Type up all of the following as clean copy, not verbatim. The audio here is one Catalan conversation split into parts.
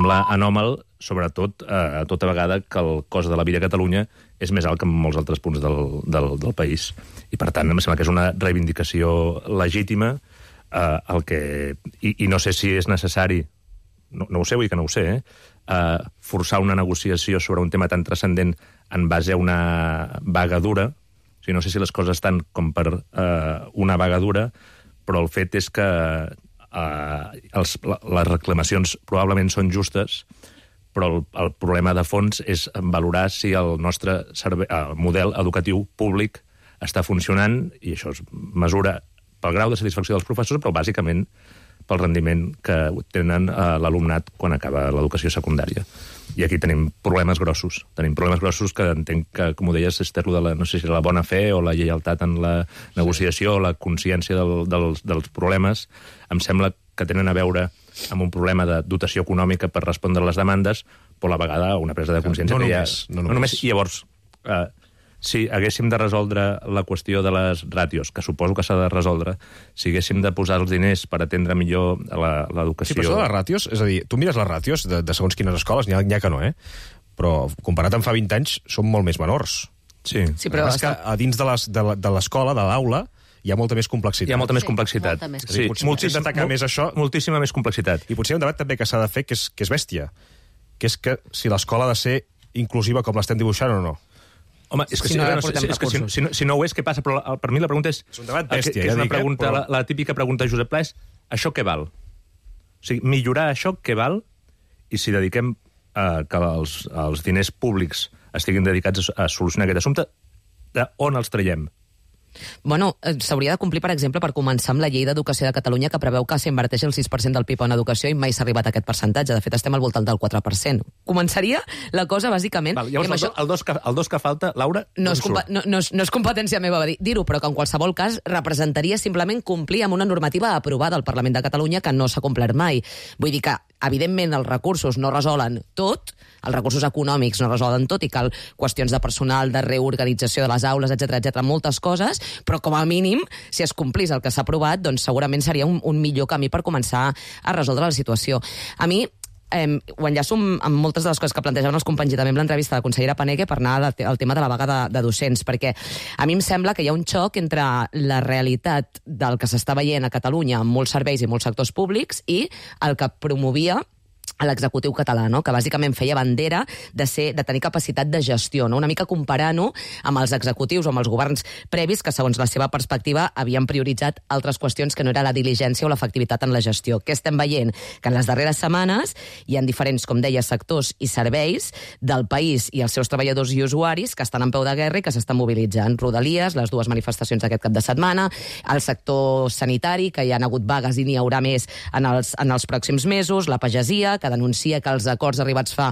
Sembla anòmal, sobretot tota vegada que el cost de la vida a Catalunya és més alt que en molts altres punts del país. I, per tant, em sembla que és una reivindicació legítima i no sé si és necessari, no ho sé, vull dir que no ho sé, forçar una negociació sobre un tema tan transcendent en base a una vaga dura. O sigui, no sé si les coses estan com per una vaga dura, però el fet és que les reclamacions probablement són justes, però el problema de fons és valorar si el nostre model educatiu públic està funcionant, i això es mesura pel grau de satisfacció dels professors, però bàsicament pel rendiment que tenen l'alumnat quan acaba l'educació secundària. I aquí tenim problemes grossos. Tenim problemes grossos que entenc que, com ho deies, és de la, no sé si la bona fe o la lleialtat en la negociació o la consciència dels problemes. Em sembla que tenen a veure amb un problema de dotació econòmica per respondre a les demandes, però a la vegada una presa de consciència No només. I llavors, si haguéssim de resoldre la qüestió de les ràtios, que suposo que s'ha de resoldre, si haguéssim de posar els diners per atendre millor l'educació... Sí, però això de les ràtios, és a dir, tu mires les ràtios de segons quines escoles, n'hi ha que no, però comparat amb fa 20 anys són molt més menors. Sí, però és que a dins de l'escola, de l'aula, hi ha molta més complexitat. Hi ha molta més complexitat. Sí, potser d'atacar més això... Moltíssima més complexitat. I potser hi ha un debat també que s'ha de fer que és bèstia, que és que si l'escola ha de ser inclusiva com l'estem dibuixant o no. Home, és que si no ho és, què passa? Però per mi la pregunta és... És un debat bèstia, ja dic, però... La típica pregunta de Josep Pla és: això què val? O sigui, millorar això què val? I si dediquem que els diners públics estiguin dedicats a solucionar aquest assumpte, d'on els traiem? Bueno, s'hauria de complir, per exemple, per començar amb la llei d'educació de Catalunya, que preveu que s'inverteix el 6% del PIB en educació i mai s'ha arribat a aquest percentatge. De fet, estem al voltant del 4%. Començaria la cosa, bàsicament... Llavors, el dos que falta, Laura, no és competència meva dir-ho, però que en qualsevol cas representaria simplement complir amb una normativa aprovada al Parlament de Catalunya que no s'ha complert mai. Vull dir que, evidentment, els recursos no resolen tot, els recursos econòmics no resolen tot, i cal qüestions de personal, de reorganització de les aules, etc, moltes coses, però com a mínim, si es complís el que s'ha aprovat, doncs segurament seria un millor camí per començar a resoldre la situació. A mi, ho enllaço amb moltes de les coses que plantejaven els companys i també amb l'entrevista de la consellera Paneque per anar al tema de la vaga de docents, perquè a mi em sembla que hi ha un xoc entre la realitat del que s'està veient a Catalunya amb molts serveis i molts sectors públics i el que promovia a l'executiu català, no? Que bàsicament feia bandera de tenir capacitat de gestió, no? Una mica comparant-ho amb els executius o amb els governs previs que, segons la seva perspectiva, havien prioritzat altres qüestions que no era la diligència o l'efectivitat en la gestió. Què estem veient? Que en les darreres setmanes hi ha diferents, com deia, sectors i serveis del país i els seus treballadors i usuaris que estan en peu de guerra i que s'estan mobilitzant. Rodalies, les dues manifestacions d'aquest cap de setmana, el sector sanitari, que hi ha hagut vagues i n'hi haurà més en els pròxims mesos, la pagesia, que denuncia que els acords arribats fa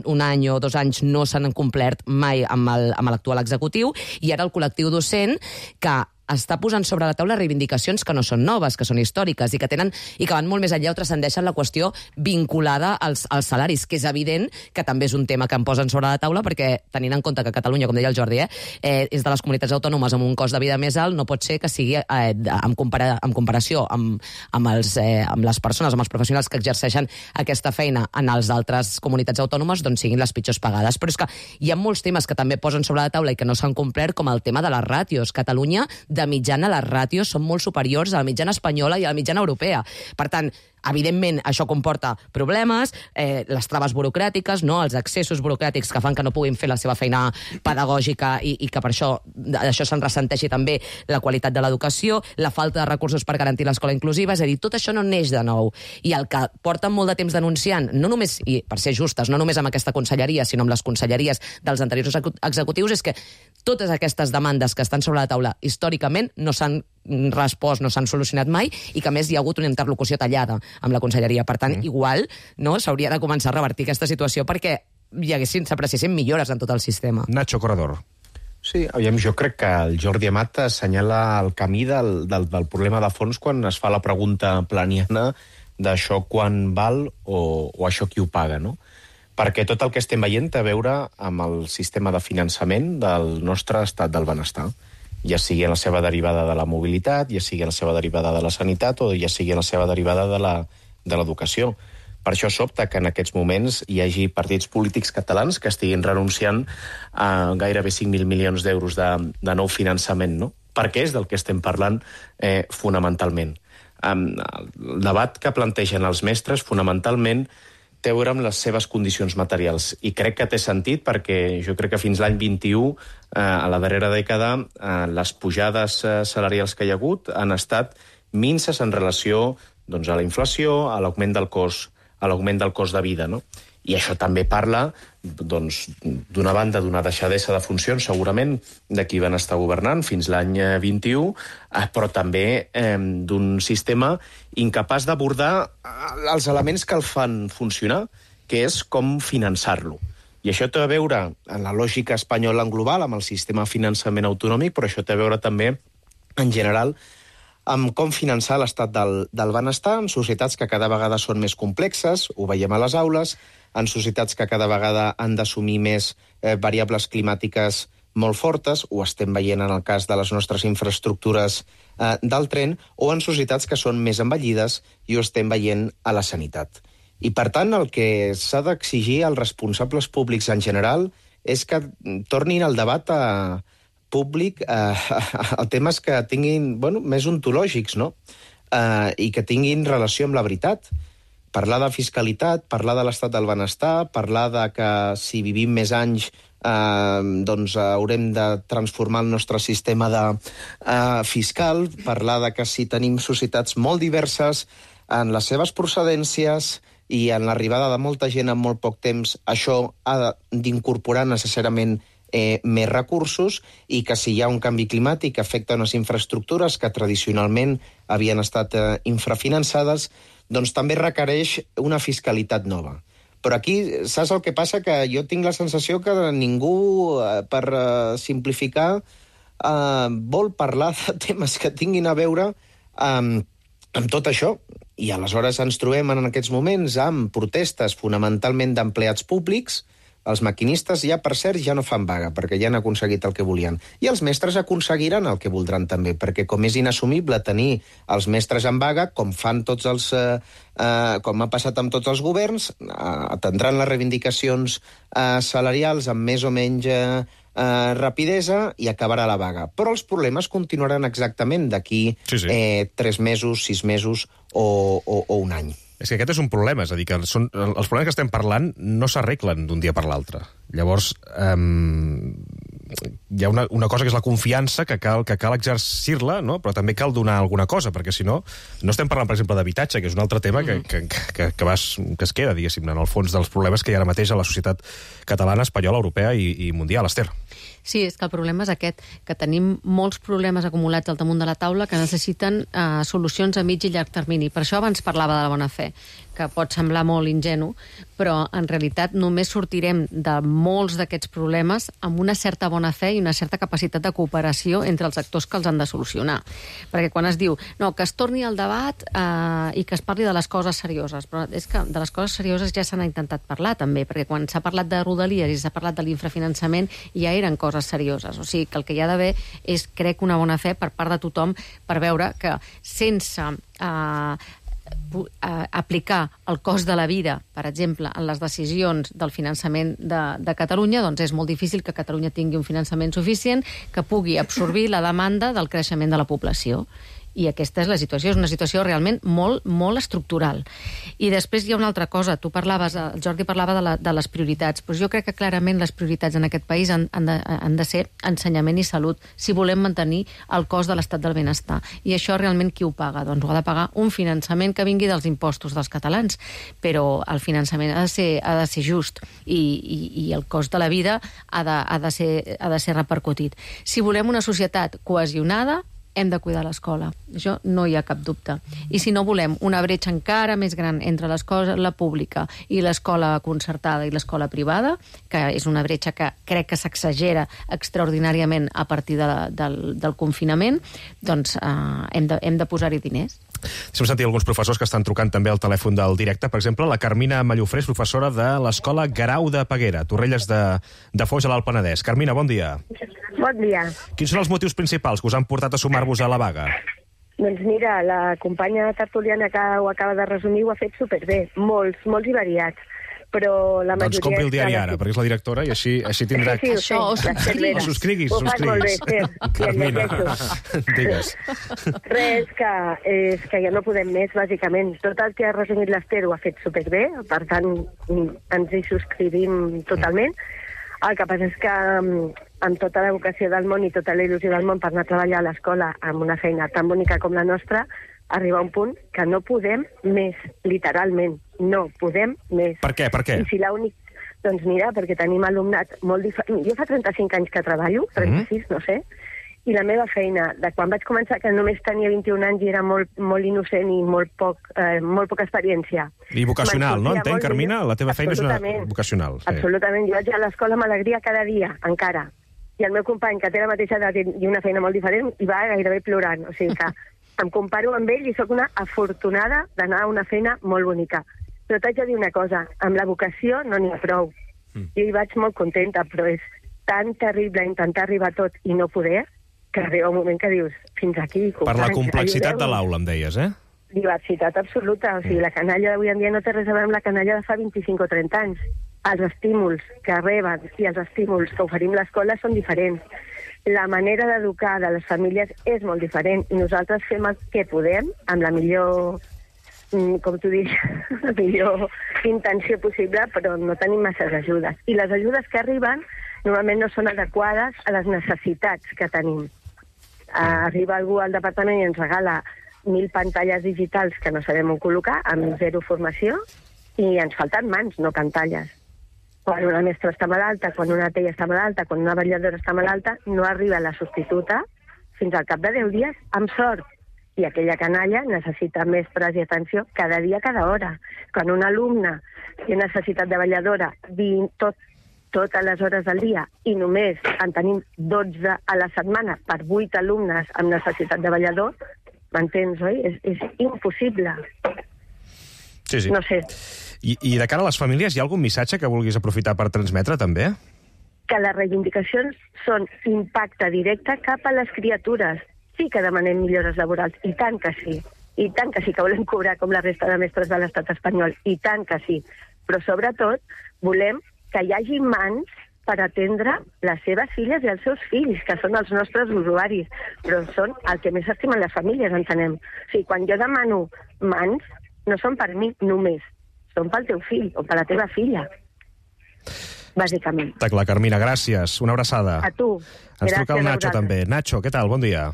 un any o 2 anys no s'han complert mai amb l'actual executiu, i ara el col·lectiu docent, que està posant sobre la taula reivindicacions que no són noves, que són històriques i que van molt més enllà o transcendeixen la qüestió vinculada als salaris, que és evident que també és un tema que em posen sobre la taula, perquè tenint en compte que Catalunya, com deia el Jordi, és de les comunitats autònomes amb un cost de vida més alt, no pot ser que sigui en comparació amb les persones, amb els professionals que exerceixen aquesta feina en les altres comunitats autònomes, doncs siguin les pitjors pagades. Però és que hi ha molts temes que també posen sobre la taula i que no s'han complert, com el tema de les ràtios. Catalunya, de mitjana, les ràtios són molt superiors a la mitjana espanyola i a la mitjana europea. Per tant, evidentment, això comporta problemes, les traves burocràtiques, no? Els excessos burocràtics que fan que no puguin fer la seva feina pedagògica i que per això se'n ressenteixi també la qualitat de l'educació, la falta de recursos per garantir l'escola inclusiva, és a dir, tot això no neix de nou. I el que porten molt de temps denunciant, no només, i per ser justes, no només amb aquesta conselleria, sinó amb les conselleries dels anteriors executius, és que totes aquestes demandes que estan sobre la taula històricament no s'han respost, no s'han solucionat mai, i que a més hi ha hagut una interlocució tallada amb la conselleria. Per tant, igual s'hauria de començar a revertir aquesta situació perquè s'apreciessin millores en tot el sistema. Nacho Corredor. Sí, aviam, jo crec que el Jordi Amat assenyala el camí del problema de fons quan es fa la pregunta planiana d'això quan val o això qui ho paga, no? Perquè tot el que estem veient té a veure amb el sistema de finançament del nostre estat del benestar, ja sigui en la seva derivada de la mobilitat, ja sigui en la seva derivada de la sanitat o ja sigui en la seva derivada de l'educació. Per això sobta que en aquests moments hi hagi partits polítics catalans que estiguin renunciant a gairebé 5.000 milions d'euros de nou finançament, no? Perquè és del que estem parlant fonamentalment. El debat que plantegen els mestres fonamentalment té a veure amb les seves condicions materials. I crec que té sentit perquè jo crec que fins l'any 21, a la darrera dècada, les pujades salarials que hi ha hagut han estat minses en relació doncs, a la inflació, a l'augment del cost de vida, no? I això també parla, doncs, d'una banda, d'una deixadesa de funcions, segurament, de qui van estar governant fins l'any 21, però també d'un sistema incapaç d'abordar els elements que el fan funcionar, que és com finançar-lo. I això té a veure, en la lògica espanyola en global, amb el sistema de finançament autonòmic, però això té a veure també, en general, amb com finançar l'estat del benestar en societats que cada vegada són més complexes, ho veiem a les aules, en societats que cada vegada han d'assumir més variables climàtiques molt fortes, ho estem veient en el cas de les nostres infraestructures del tren, o en societats que són més envellides i ho estem veient a la sanitat. I, per tant, el que s'ha d'exigir als responsables públics en general és que tornin al debat públic a temes que tinguin més ontològics, no? I que tinguin relació amb la veritat. Parlar de fiscalitat, parlar de l'estat del benestar, parlar de que si vivim més anys doncs haurem de transformar el nostre sistema fiscal, parlar de que si tenim societats molt diverses en les seves procedències i en l'arribada de molta gent en molt poc temps, això ha d'incorporar necessàriament més recursos i que si hi ha un canvi climàtic que afecta unes infraestructures que tradicionalment havien estat infrafinançades, doncs també requereix una fiscalitat nova. Però aquí, saps el que passa? Que jo tinc la sensació que ningú, per simplificar, vol parlar de temes que tinguin a veure amb tot això. I aleshores ens trobem en aquests moments amb protestes fonamentalment d'empleats públics. Els maquinistes ja, per cert, ja no fan vaga, perquè ja han aconseguit el que volien. I els mestres aconseguiran el que voldran també, perquè com és inassumible tenir els mestres en vaga, com fan tots els... com ha passat amb tots els governs, atendran les reivindicacions salarials amb més o menys rapidesa i acabarà la vaga. Però els problemes continuaran exactament d'aquí 3 mesos, 6 mesos o un any. És que aquest és un problema, és a dir, que els problemes que estem parlant no s'arreglen d'un dia per l'altre. Llavors, hi ha una cosa que és la confiança, que cal exercir-la, no? Però també cal donar alguna cosa, perquè si no estem parlant, per exemple, d'habitatge, que és un altre tema que es queda, diguéssim, en el fons dels problemes que hi ha ara mateix a la societat catalana, espanyola, europea i mundial. Esther. Sí, és que el problema és aquest, que tenim molts problemes acumulats al damunt de la taula que necessiten solucions a mig i llarg termini. Per això abans parlava de la bona fe, que pot semblar molt ingenu, però en realitat només sortirem de molts d'aquests problemes amb una certa bona fe i una certa capacitat de cooperació entre els actors que els han de solucionar. Perquè quan es diu, no, que es torni al debat i que es parli de les coses serioses, però és que de les coses serioses ja se n'ha intentat parlar també, perquè quan s'ha parlat de Rodalies i s'ha parlat de l'infrafinançament ja eren coses serioses. O sigui, que el que hi ha d'haver és, crec, una bona fe per part de tothom per veure que sense aplicar el cost de la vida, per exemple, en les decisions del finançament de Catalunya, doncs és molt difícil que Catalunya tingui un finançament suficient que pugui absorbir la demanda del creixement de la població. I aquesta és la situació, és una situació realment molt, molt estructural. I després hi ha una altra cosa, el Jordi parlava de les prioritats, però jo crec que clarament les prioritats en aquest país han de ser ensenyament i salut, si volem mantenir el cost de l'estat del benestar. I això realment qui ho paga? Doncs ho ha de pagar un finançament que vingui dels impostos dels catalans, però el finançament ha de ser just i el cost de la vida ha de ser repercutit. Si volem una societat cohesionada, hem de cuidar l'escola. Això no hi ha cap dubte. I si no volem una bretxa encara més gran entre l'escola pública i l'escola concertada i l'escola privada, que és una bretxa que crec que s'exagera extraordinàriament a partir del confinament, doncs hem de posar-hi diners. Hem sentit alguns professors que estan trucant també al telèfon del directe. Per exemple, la Carmina Mallofré és professora de l'Escola Guerau de Peguera, Torrelles de Foix, a l'Alt Penedès. Carmina, bon dia. Bon dia. Quins són els motius principals que us han portat a sumar-vos a la vaga? Doncs mira, la companya tertuliana que ho acaba de resumir ho ha fet superbé, molts i variats. Però la majoria... Doncs compri el diari ara, perquè és la directora i així tindrà... Sí, Això, ho subscriguis. Ho fas molt bé, Carmina, digues. Res, que ja no podem més, bàsicament. Tot el que ha resumit l'Ester ho ha fet superbé, per tant, ens hi subscrivim totalment. El que passa és que amb tota la vocació del món i tota la il·lusió del món per anar a treballar a l'escola amb una feina tan bonica com la nostra, arriba un punt que no podem més, literalment. No podem més. Per què? I si l'únic... Doncs mira, perquè tenim alumnat molt diferent. Jo fa 35 anys que treballo, 36, no sé, i la meva feina, de quan vaig començar, que només tenia 21 anys i era molt innocent i molt poca experiència. I vocacional, no? Entenc, Carmina? La teva feina és una vocacional. Sí. Absolutament. Jo vaig a l'escola amb alegria cada dia, encara. I el meu company, que té la mateixa edat i una feina molt diferent, hi va gairebé plorant. O sigui que em comparo amb ell i sóc una afortunada d'anar a una feina molt bonica. Però t'haig de dir una cosa, amb la vocació no n'hi ha prou. Jo hi vaig molt contenta, però és tan terrible intentar arribar a tot i no poder, que arriba un moment que dius, fins aquí, companys. Per la complexitat de l'aula, em deies, eh? Diversitat absoluta. O sigui, la canalla d'avui en dia no té res a veure amb la canalla de fa 25 o 30 anys. Els estímuls que reben i els estímuls que oferim a l'escola són diferents. La manera d'educar de les famílies és molt diferent i nosaltres fem el que podem amb la millor, com tu dius, la millor intenció possible, però no tenim masses ajudes. I les ajudes que arriben normalment no són adequades a les necessitats que tenim. Arriba algú al departament i ens regala 1.000 pantalles digitals que no sabem on col·locar, amb 0 formació, i ens falten mans, no pantalles. Quan una mestra està malalta, quan una tella està malalta, quan una vetlladora està malalta, no arriba la substituta fins al cap de 10 dies, amb sort. I aquella canalla necessita mestres i atenció cada dia, cada hora. Quan un alumne té necessitat de vetlladora totes les hores del dia i només en tenim 12 a la setmana per 8 alumnes amb necessitat de vetllador, m'entens, oi? És impossible. Sí. No sé. I de cara a les famílies, hi ha algun missatge que vulguis aprofitar per transmetre, també? Que les reivindicacions són impacte directe cap a les criatures. Sí que demanem millores laborals, i tant que sí. I tant que sí que volem cobrar com la resta de mestres de l'estat espanyol, i tant que sí. Però sobretot volem que hi hagi mans per atendre les seves filles i els seus fills, que són els nostres usuaris, però són el que més estimen les famílies, entenem. O sigui, quan jo demano mans, no són per mi només, són pel teu fill o per la teva filla, bàsicament. Està clar, Carmina, gràcies. Una abraçada. A tu. Ens truca el Nacho, també. Nacho, què tal? Bon dia.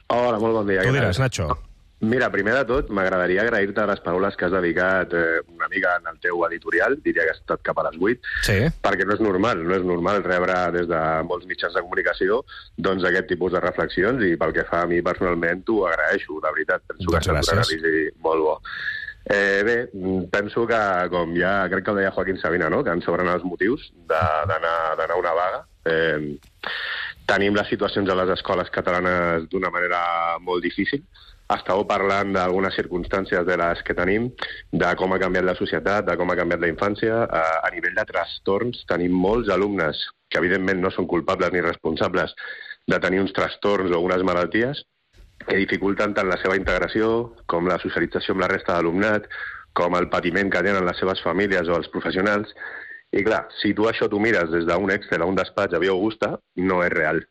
Hola, molt bon dia. Tu diràs, Nacho. Mira, primer de tot, m'agradaria agrair-te les paraules que has dedicat una mica en el teu editorial, diria que has estat cap a les 8, sí. Perquè no és normal rebre des de molts mitjans de comunicació doncs aquest tipus de reflexions, i pel que fa a mi personalment t'ho agraeixo, de veritat. Penso que és un anàlisi molt bo. Bé, penso que, com ja crec que ho deia Joaquín Sabina, no? Que ens sobren els motius d'anar a una vaga. Tenim les situacions a les escoles catalanes d'una manera molt difícil. Estàveu parlant d'algunes circumstàncies de les que tenim, de com ha canviat la societat, de com ha canviat la infància. A nivell de trastorns tenim molts alumnes que evidentment no són culpables ni responsables de tenir uns trastorns o unes malalties que dificulten tant la seva integració com la socialització amb la resta d'alumnat, com el patiment que tenen les seves famílies o els professionals. I clar, si tu això t'ho mires des d'un Excel a un despatx a Via Augusta, no és real.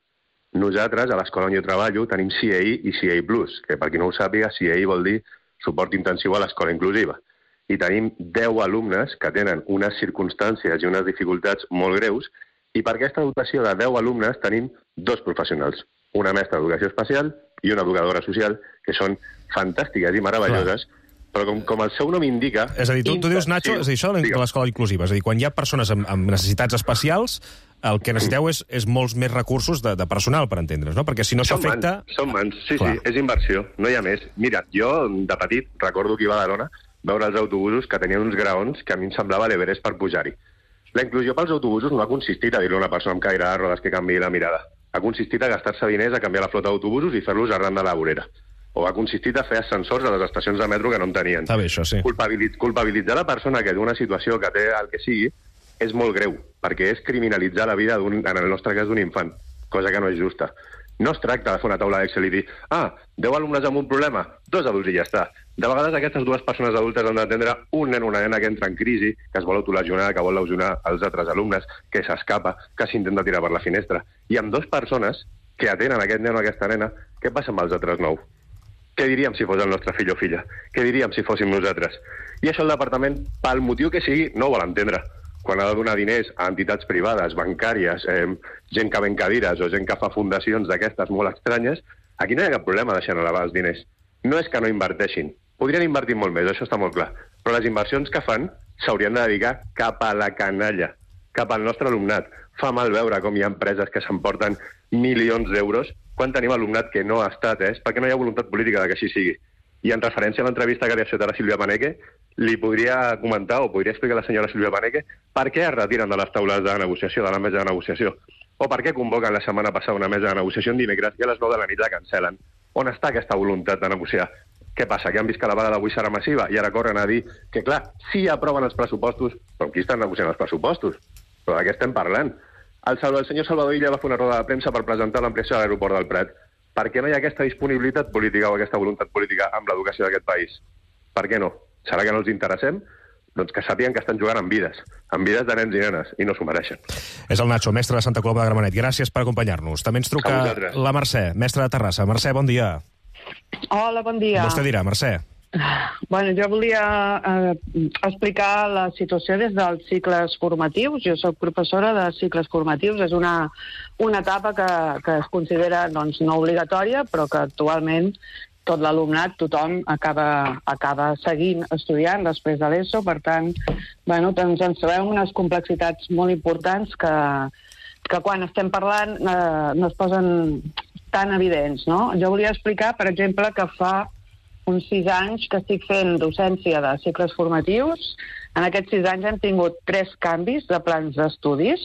Nosaltres, a l'escola on jo treballo, tenim CAI i CAI+, que per qui no ho sàpiga, CAI vol dir suport intensiu a l'escola inclusiva. I tenim 10 alumnes que tenen unes circumstàncies i unes dificultats molt greus, i per aquesta dotació de 10 alumnes tenim 2 professionals, una mestra d'educació especial i una educadora social, que són fantàstiques i meravelloses, però com el seu nom indica... És a dir, tu dius, Nacho, és a dir, això de l'escola inclusiva, és a dir, quan hi ha persones amb necessitats especials, el que necessiteu és molts més recursos de personal, per entendre's, no? Perquè si no s'afecta... Són mans, sí, és inversió, no hi ha més. Mira, jo, de petit, recordo que iba a Badalona veure els autobusos que tenien uns graons que a mi em semblava l'Everest per pujar-hi. La inclusió pels autobusos no ha consistit a dir-li a una persona amb caire de rodes que canviï la mirada. Ha consistit a gastar-se diners a canviar la flota d'autobusos i fer-los arran de la vorera. O ha consistit a fer ascensors a les estacions de metro que no en tenien. Està bé, això, sí. Culpabilitzar la persona que d'una situació que té el que sigui és molt greu, perquè és criminalitzar la vida, en el nostre cas, d'un infant, cosa que no és justa. No es tracta de fer una taula d'Excel i dir 10 alumnes amb un problema, 2 adults i ja està. De vegades aquestes 2 persones adultes han d'atendre un nen o una nena que entra en crisi, que es vol autolesionar, que vol lesionar els altres alumnes, que s'escapa, que s'intenta tirar per la finestra. I amb 2 persones que atenen aquest nen o aquesta nena, què passa amb els altres 9? Què diríem si fos el nostre fill o filla? Què diríem si fóssim nosaltres? I això el departament, pel motiu que sigui, no ho vol entendre. Quan ha de donar diners a entitats privades, bancàries, gent que ven cadires o gent que fa fundacions d'aquestes molt estranyes, aquí no hi ha cap problema deixant elevar els diners. No és que no inverteixin. Podrien invertir molt més, això està molt clar. Però les inversions que fan s'haurien de dedicar cap a la canalla, cap al nostre alumnat. Fa mal veure com hi ha empreses que s'emporten milions d'euros quan tenim alumnat que no ha estat, perquè no hi ha voluntat política de que així sigui. I en referència a l'entrevista que li ha fet a la Sílvia Paneque, li podria comentar o podria explicar a la senyora Sílvia Paneque per què es retiren de les taules de negociació, de la mesa de negociació, o per què convoquen la setmana passada una mesa de negociació en dimecres i a les 9 de la nit la cancel·len. On està aquesta voluntat de negociar? Què passa, que han vist que la vaga d'avui serà massiva i ara corren a dir que, clar, sí aproven els pressupostos, però amb qui estan negociant els pressupostos? Però de què estem parlant? El senyor Salvador Illa va fer una roda de premsa per presentar l'ampliació de l'aeroport del Prat. Per què no hi ha aquesta disponibilitat política o aquesta voluntat política amb l'educació d'aquest país? Per què no? Serà que no els interessem? Doncs que sàpiguen que estan jugant amb vides de nens i nenes, i no s'ho mereixen. És el Nacho, mestre de Santa Coloma de Gramenet. Gràcies per acompanyar-nos. També ens truca la Mercè, mestra de Terrassa. Mercè, bon dia. Hola, bon dia. Vostè dirà, Mercè. Bueno, jo volia explicar la situació des dels cicles formatius. Jo soc professora de cicles formatius. És una etapa que es considera doncs, no obligatòria, però que actualment tot l'alumnat, tothom acaba seguint estudiant després de l'ESO. Per tant, bueno, doncs ens trobem unes complexitats molt importants que quan estem parlant no es posen tan evidents, no? Jo volia explicar, per exemple, que fa uns 6 anys que estic fent docència de cicles formatius. En aquests 6 anys hem tingut 3 canvis de plans d'estudis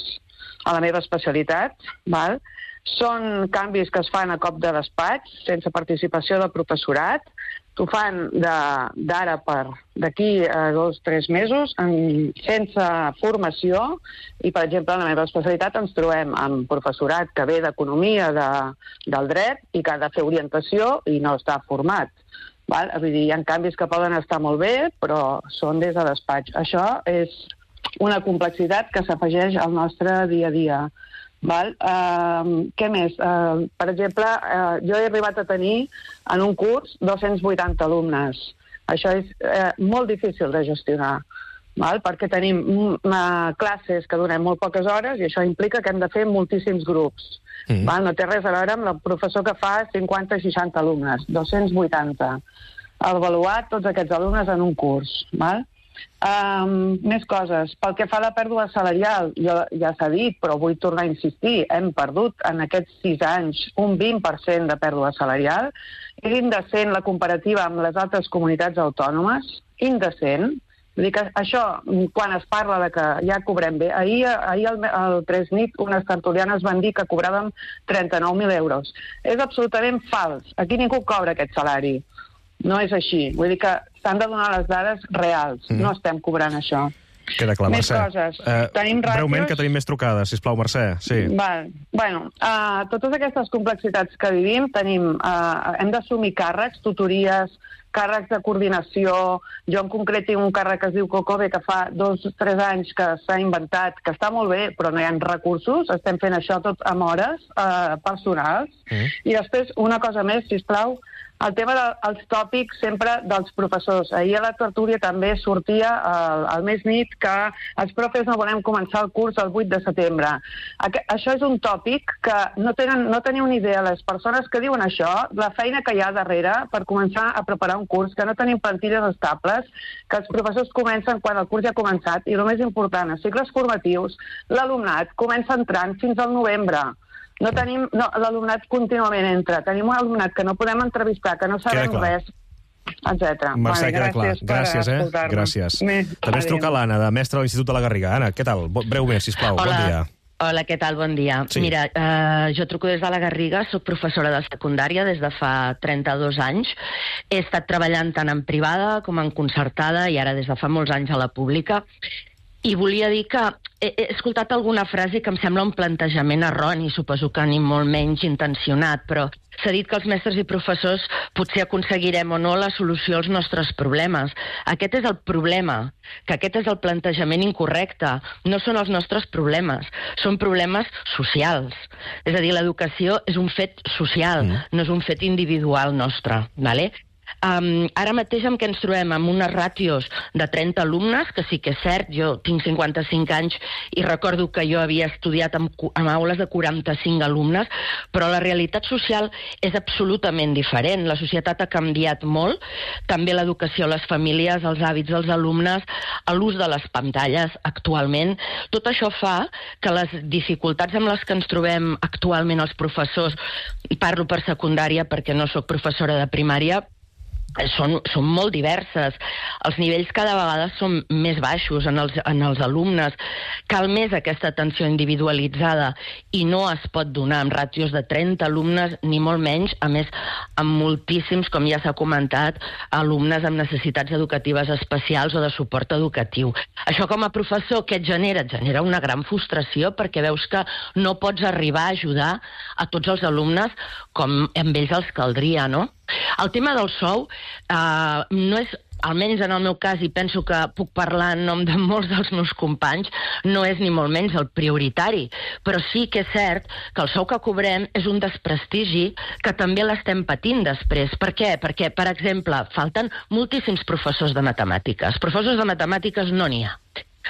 a la meva especialitat, val? Són canvis que es fan a cop de despatx, sense participació del professorat. T'ho fan d'ara per d'aquí a 2 o 3 mesos, sense formació, i, per exemple, en la meva especialitat ens trobem amb professorat que ve d'economia del dret i que ha de fer orientació i no està format. Val? Vull dir, hi ha canvis que poden estar molt bé, però són des de despatx. Això és una complexitat que s'afegeix al nostre dia a dia. Val? Què més? Per exemple, jo he arribat a tenir en un curs 280 alumnes. Això és molt difícil de gestionar, val? Perquè tenim classes que donem molt poques hores i això implica que hem de fer moltíssims grups. Val? No té res a veure amb el professor que fa 50 o 60 alumnes, 280. Avaluar tots aquests alumnes en un curs. Val? Més coses. Pel que fa a la pèrdua salarial, ja s'ha dit, però vull tornar a insistir, hem perdut en aquests 6 anys un 20% de pèrdua salarial. És indecent la comparativa amb les altres comunitats autònomes, indecent. Vull dir que això, quan es parla de que ja cobrem bé, ahir al 3nit unes tertulianes van dir que cobràvem 39.000 euros. És absolutament fals. Aquí ningú cobra aquest salari. No és així. Vull dir que s'han de donar les dades reals. No estem cobrant això. Queda clar, Més Mercè. coses. Tenim ràtios... Breument, que tenim més trucades, sisplau, Mercè. Sí. Val. Bueno, totes aquestes complexitats que vivim, hem d'assumir càrrecs, tutories, càrrecs de coordinació. Jo en concret tinc un càrrec que es diu Cocobe, que fa 2 o 3 anys que s'ha inventat, que està molt bé, però no hi ha recursos. Estem fent això tot amb hores personals. I després, una cosa més, sisplau, el tema dels tòpics sempre dels professors. Ahir a la tertúlia també sortia al mes nit que els profes no volem començar el curs el 8 de setembre. Això és un tòpic que no teniu ni idea, les persones que diuen això, la feina que hi ha darrere per començar a preparar un curs, que no tenim plantilles estables, que els professors comencen quan el curs ja ha començat, i el més important, a cicles formatius, l'alumnat comença entrant fins al novembre. L'alumnat contínuament entra. Tenim un alumnat que no podem entrevistar, que no sabem res, etc. Mercè, queda clar. Gràcies, Gràcies. També es truca l'Anna, de mestra de l'Institut de la Garriga. Anna, què tal? Breument, sisplau. Bon dia. Hola, què tal? Bon dia. Sí. Mira, jo truco des de la Garriga, soc professora de secundària des de fa 32 anys. He estat treballant tant en privada com en concertada i ara des de fa molts anys a la pública. I volia dir que he escoltat alguna frase que em sembla un plantejament erroni, suposo que ni molt menys intencionat, però s'ha dit que els mestres i professors potser aconseguirem o no la solució als nostres problemes. Aquest és el problema, que aquest és el plantejament incorrecte. No són els nostres problemes, són problemes socials. És a dir, l'educació és un fet social, no és un fet individual nostre, ¿vale? Ara mateix amb què ens trobem? Amb unes ràtios de 30 alumnes, que sí que és cert, jo tinc 55 anys i recordo que jo havia estudiat amb aules de 45 alumnes, però la realitat social és absolutament diferent. La societat ha canviat molt, també l'educació a les famílies, els hàbits dels alumnes, l'ús de les pantalles actualment. Tot això fa que les dificultats amb les que ens trobem actualment els professors, i parlo per secundària perquè no sóc professora de primària, són molt diverses. Els nivells cada vegada són més baixos en els alumnes. Cal més aquesta atenció individualitzada i no es pot donar amb ràtios de 30 alumnes, ni molt menys, a més, amb moltíssims, com ja s'ha comentat, alumnes amb necessitats educatives especials o de suport educatiu. Això com a professor, què et genera? Et genera una gran frustració perquè veus que no pots arribar a ajudar a tots els alumnes com amb ells els caldria, no? El tema del sou no és, almenys en el meu cas, i penso que puc parlar en nom de molts dels meus companys, no és ni molt menys el prioritari. Però sí que és cert que el sou que cobrem és un desprestigi que també l'estem patint després. Per què? Perquè, per exemple, falten moltíssims professors de matemàtiques. Professors de matemàtiques no n'hi ha.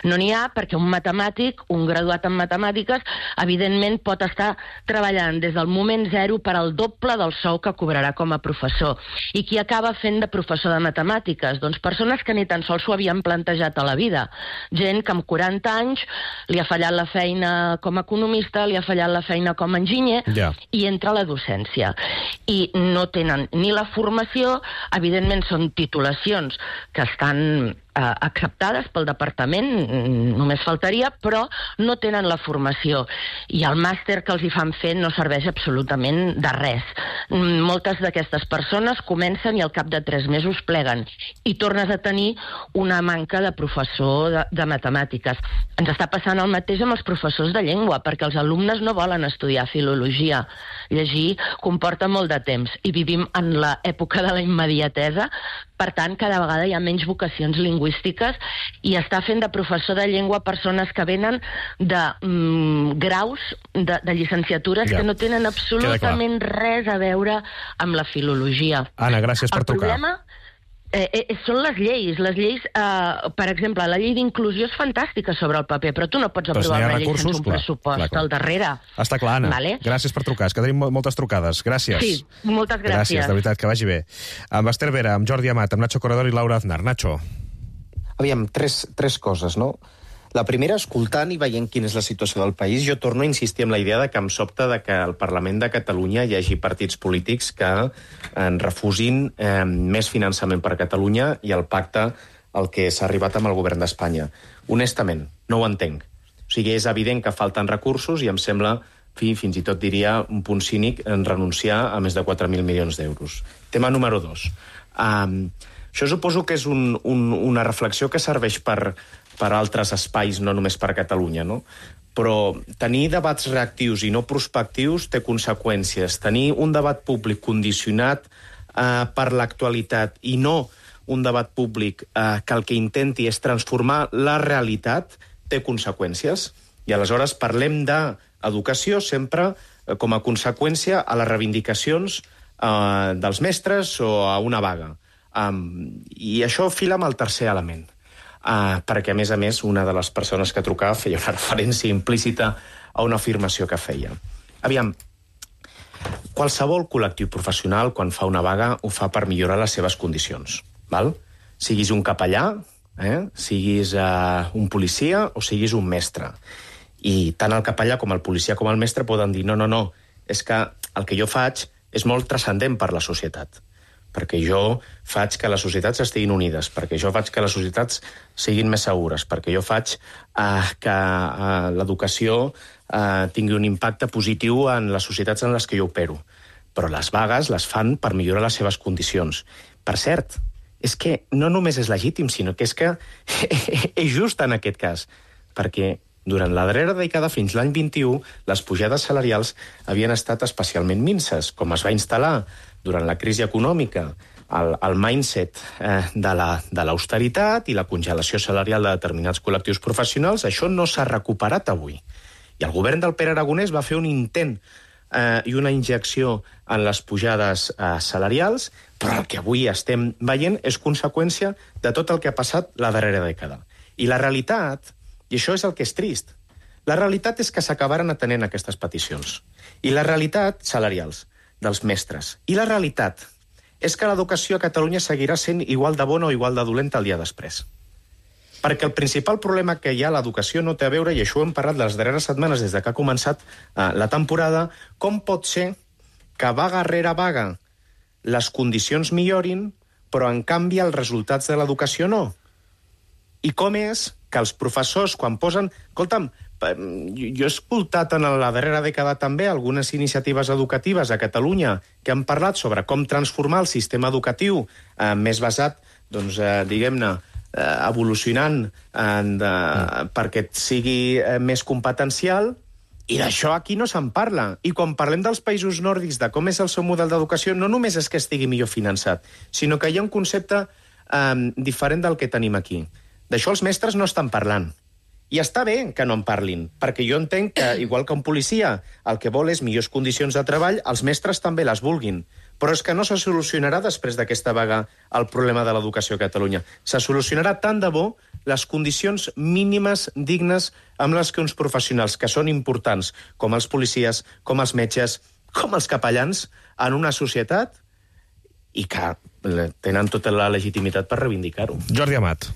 No n'hi ha perquè un matemàtic, un graduat en matemàtiques, evidentment pot estar treballant des del moment zero per al doble del sou que cobrarà com a professor. I qui acaba fent de professor de matemàtiques? Doncs persones que ni tan sols s'ho havien plantejat a la vida. Gent que amb 40 anys li ha fallat la feina com a economista, li ha fallat la feina com a enginyer, i entra a la docència. I no tenen ni la formació, evidentment són titulacions que estan acceptades pel departament, només faltaria, però no tenen la formació. I el màster que els hi fan fer no serveix absolutament de res. Moltes d'aquestes persones comencen i al cap de 3 mesos pleguen. I tornes a tenir una manca de professor de matemàtiques. Ens està passant el mateix amb els professors de llengua, perquè els alumnes no volen estudiar filologia. Llegir comporta molt de temps i vivim en l'època de la immediatesa. Per tant, cada vegada hi ha menys vocacions lingüístiques i està fent de professor de llengua persones que venen de graus de llicenciatures que no tenen absolutament res a veure amb la filologia. Anna, gràcies per trucar. El problema són les lleis. Les lleis, per exemple, la llei d'inclusió és fantàstica sobre el paper, però tu no pots aprovar una llei sense un pressupost al darrere. Està clar, Anna. Gràcies per trucar. És que tenim moltes trucades. Gràcies. Sí, moltes gràcies. Gràcies, de veritat, que vagi bé. Amb Esther Vera, amb Jordi Amat, amb Nacho Corredor i Laura Aznar. Nacho. Aviam, tres coses, no? La primera, escoltant i veient quina és la situació del país, jo torno a insistir en la idea de que em sobta de que al Parlament de Catalunya hi hagi partits polítics que refusin més finançament per a Catalunya i el pacte al que s'ha arribat amb el govern d'Espanya. Honestament, no ho entenc. O sigui, és evident que falten recursos i em sembla, fins i tot diria, un punt cínic en renunciar a més de 4.000 milions d'euros. Tema número 2. Això suposo que és una reflexió que serveix per altres espais, no només per Catalunya, no? Però tenir debats reactius i no prospectius té conseqüències. Tenir un debat públic condicionat per l'actualitat i no un debat públic que el que intenti és transformar la realitat té conseqüències. I aleshores parlem d'educació sempre com a conseqüència a les reivindicacions dels mestres o a una vaga. I això fila amb el tercer element. Perquè, a més, una de les persones que trucava feia una referència implícita a una afirmació que feia. Aviam, qualsevol col·lectiu professional, quan fa una vaga, ho fa per millorar les seves condicions. Val? Siguis un capellà, siguis un policia o siguis un mestre. I tant el capellà com el policia com el mestre poden dir no, és que el que jo faig és molt transcendent per la societat. Perquè jo faig que les societats estiguin unides, perquè jo faig que les societats siguin més segures, perquè jo faig que l'educació tingui un impacte positiu en les societats en les que jo opero. Però les vagues les fan per millorar les seves condicions. Per cert, és que no només és legítim, sinó que és just en aquest cas, perquè durant la darrera dècada, fins l'any 21, les pujades salarials havien estat especialment minces, com es va instal·lar durant la crisi econòmica, el mindset de l'austeritat i la congelació salarial de determinats col·lectius professionals, això no s'ha recuperat avui. I el govern del Pere Aragonès va fer un intent i una injecció en les pujades salarials, però el que avui estem veient és conseqüència de tot el que ha passat la darrera dècada. I la realitat, i això és el que és trist, la realitat és que s'acabaren atenent aquestes peticions. I la realitat, salarials, dels mestres. I la realitat és que l'educació a Catalunya seguirà sent igual de bona o igual de dolenta el dia després. Perquè el principal problema que hi ha a l'educació no té a veure, i això ho hem parlat les darreres setmanes des que ha començat la temporada, com pot ser que vaga rere vaga les condicions millorin, però en canvi els resultats de l'educació no. I com és que els professors, quan posen... Escolta'm, jo he escoltat en la darrera dècada també algunes iniciatives educatives a Catalunya que han parlat sobre com transformar el sistema educatiu més basat, doncs, diguem-ne, evolucionant perquè sigui més competencial, i d'això aquí no se'n parla. I quan parlem dels països nòrdics, de com és el seu model d'educació, no només és que estigui millor finançat, sinó que hi ha un concepte diferent del que tenim aquí. D'això els mestres no estan parlant. I està bé que no en parlin, perquè jo entenc que, igual que un policia, el que vol és millors condicions de treball, els mestres també les vulguin. Però és que no se solucionarà després d'aquesta vaga el problema de l'educació a Catalunya. Se solucionarà tant de bo les condicions mínimes dignes amb les que uns professionals que són importants, com els policies, com els metges, com els capellans, en una societat i que tenen tota la legitimitat per reivindicar-ho. Jordi Amat.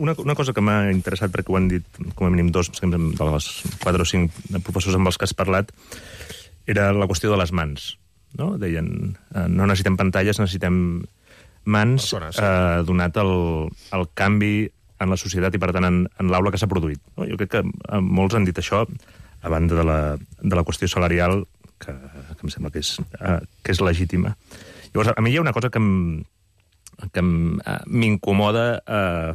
Una cosa que m'ha interessat, perquè ho han dit com a mínim dos, de les 4 o 5 professors amb els que has parlat, era la qüestió de les mans. No? Deien, no necessitem pantalles, necessitem mans, donat el canvi en la societat i, per tant, en l'aula que s'ha produït. No? Jo crec que molts han dit això, a banda de la qüestió salarial, que em sembla que és legítima. Llavors, a mi hi ha una cosa que m'incomoda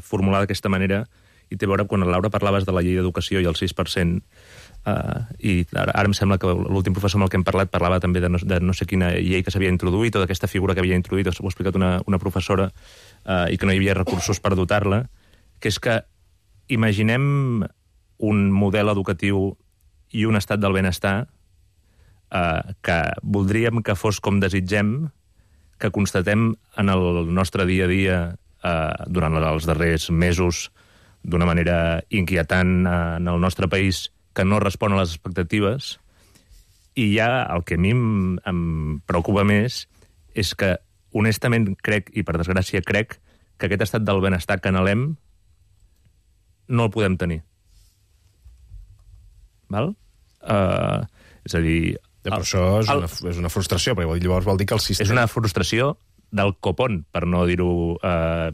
formular d'aquesta manera, i té a veure quan, Laura, parlaves de la llei d'educació i el 6%, i ara em sembla que l'últim professor amb el que hem parlat parlava també de no sé quina llei que s'havia introduït, o d'aquesta figura que havia introduït, ho ha explicat una professora, i que no hi havia recursos per dotar-la, que és que imaginem un model educatiu i un estat del benestar que voldríem que fos com desitgem, que constatem en el nostre dia a dia durant els darrers mesos d'una manera inquietant en el nostre país, que no respon a les expectatives, i ja el que a mi em preocupa més és que, honestament, crec, i per desgràcia crec, que aquest estat del benestar que anhelem no el podem tenir. Val? És a dir... Però això és una frustració, perquè llavors vol dir que el sistema... És una frustració del copón, per no dir-ho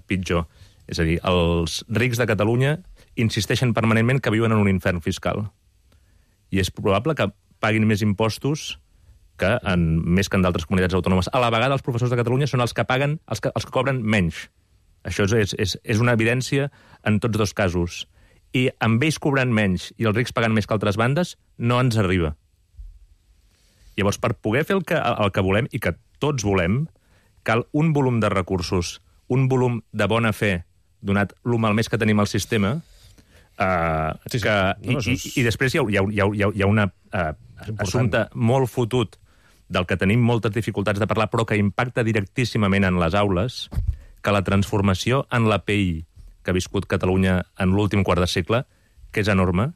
pitjor. És a dir, els rics de Catalunya insisteixen permanentment que viuen en un infern fiscal. I és probable que paguin més impostos més que en d'altres comunitats autònomes. A la vegada, els professors de Catalunya són els que paguen, els que cobren menys. Això és una evidència en tots dos casos. I amb ells cobrant menys i els rics pagant més que altres bandes, no ens arriba. Llavors, per poder fer el que volem, i que tots volem, cal un volum de recursos, un volum de bona fe, donat el malmès que tenim al sistema, i després hi ha un assumpte molt fotut del que tenim moltes dificultats de parlar, però que impacta directíssimament en les aules, que la transformació en l'API que ha viscut Catalunya en l'últim quart de segle, que és enorme,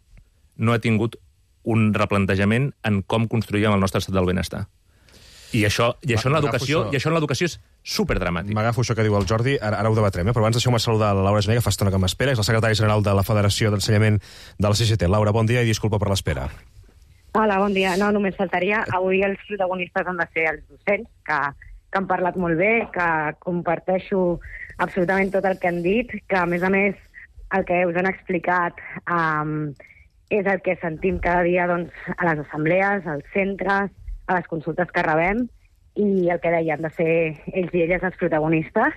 no ha tingut un replantejament en com construïm el nostre estat del benestar. I això en l'educació és superdramàtic. M'agafo això que diu el Jordi, ara ho debatrem, però abans deixeu-me saludar la Laura Gené, que fa estona que m'espera, és la secretària general de la Federació d'Ensenyament de la CGT. Laura, bon dia i disculpa per l'espera. Hola, bon dia. No, només faltaria. Avui els protagonistes han de ser els docents, que han parlat molt bé, que comparteixo absolutament tot el que han dit, que a més el que us han explicat és el que sentim cada dia doncs, a les assemblees, als centres, a les consultes que rebem, i el que deien de ser ells i elles els protagonistes.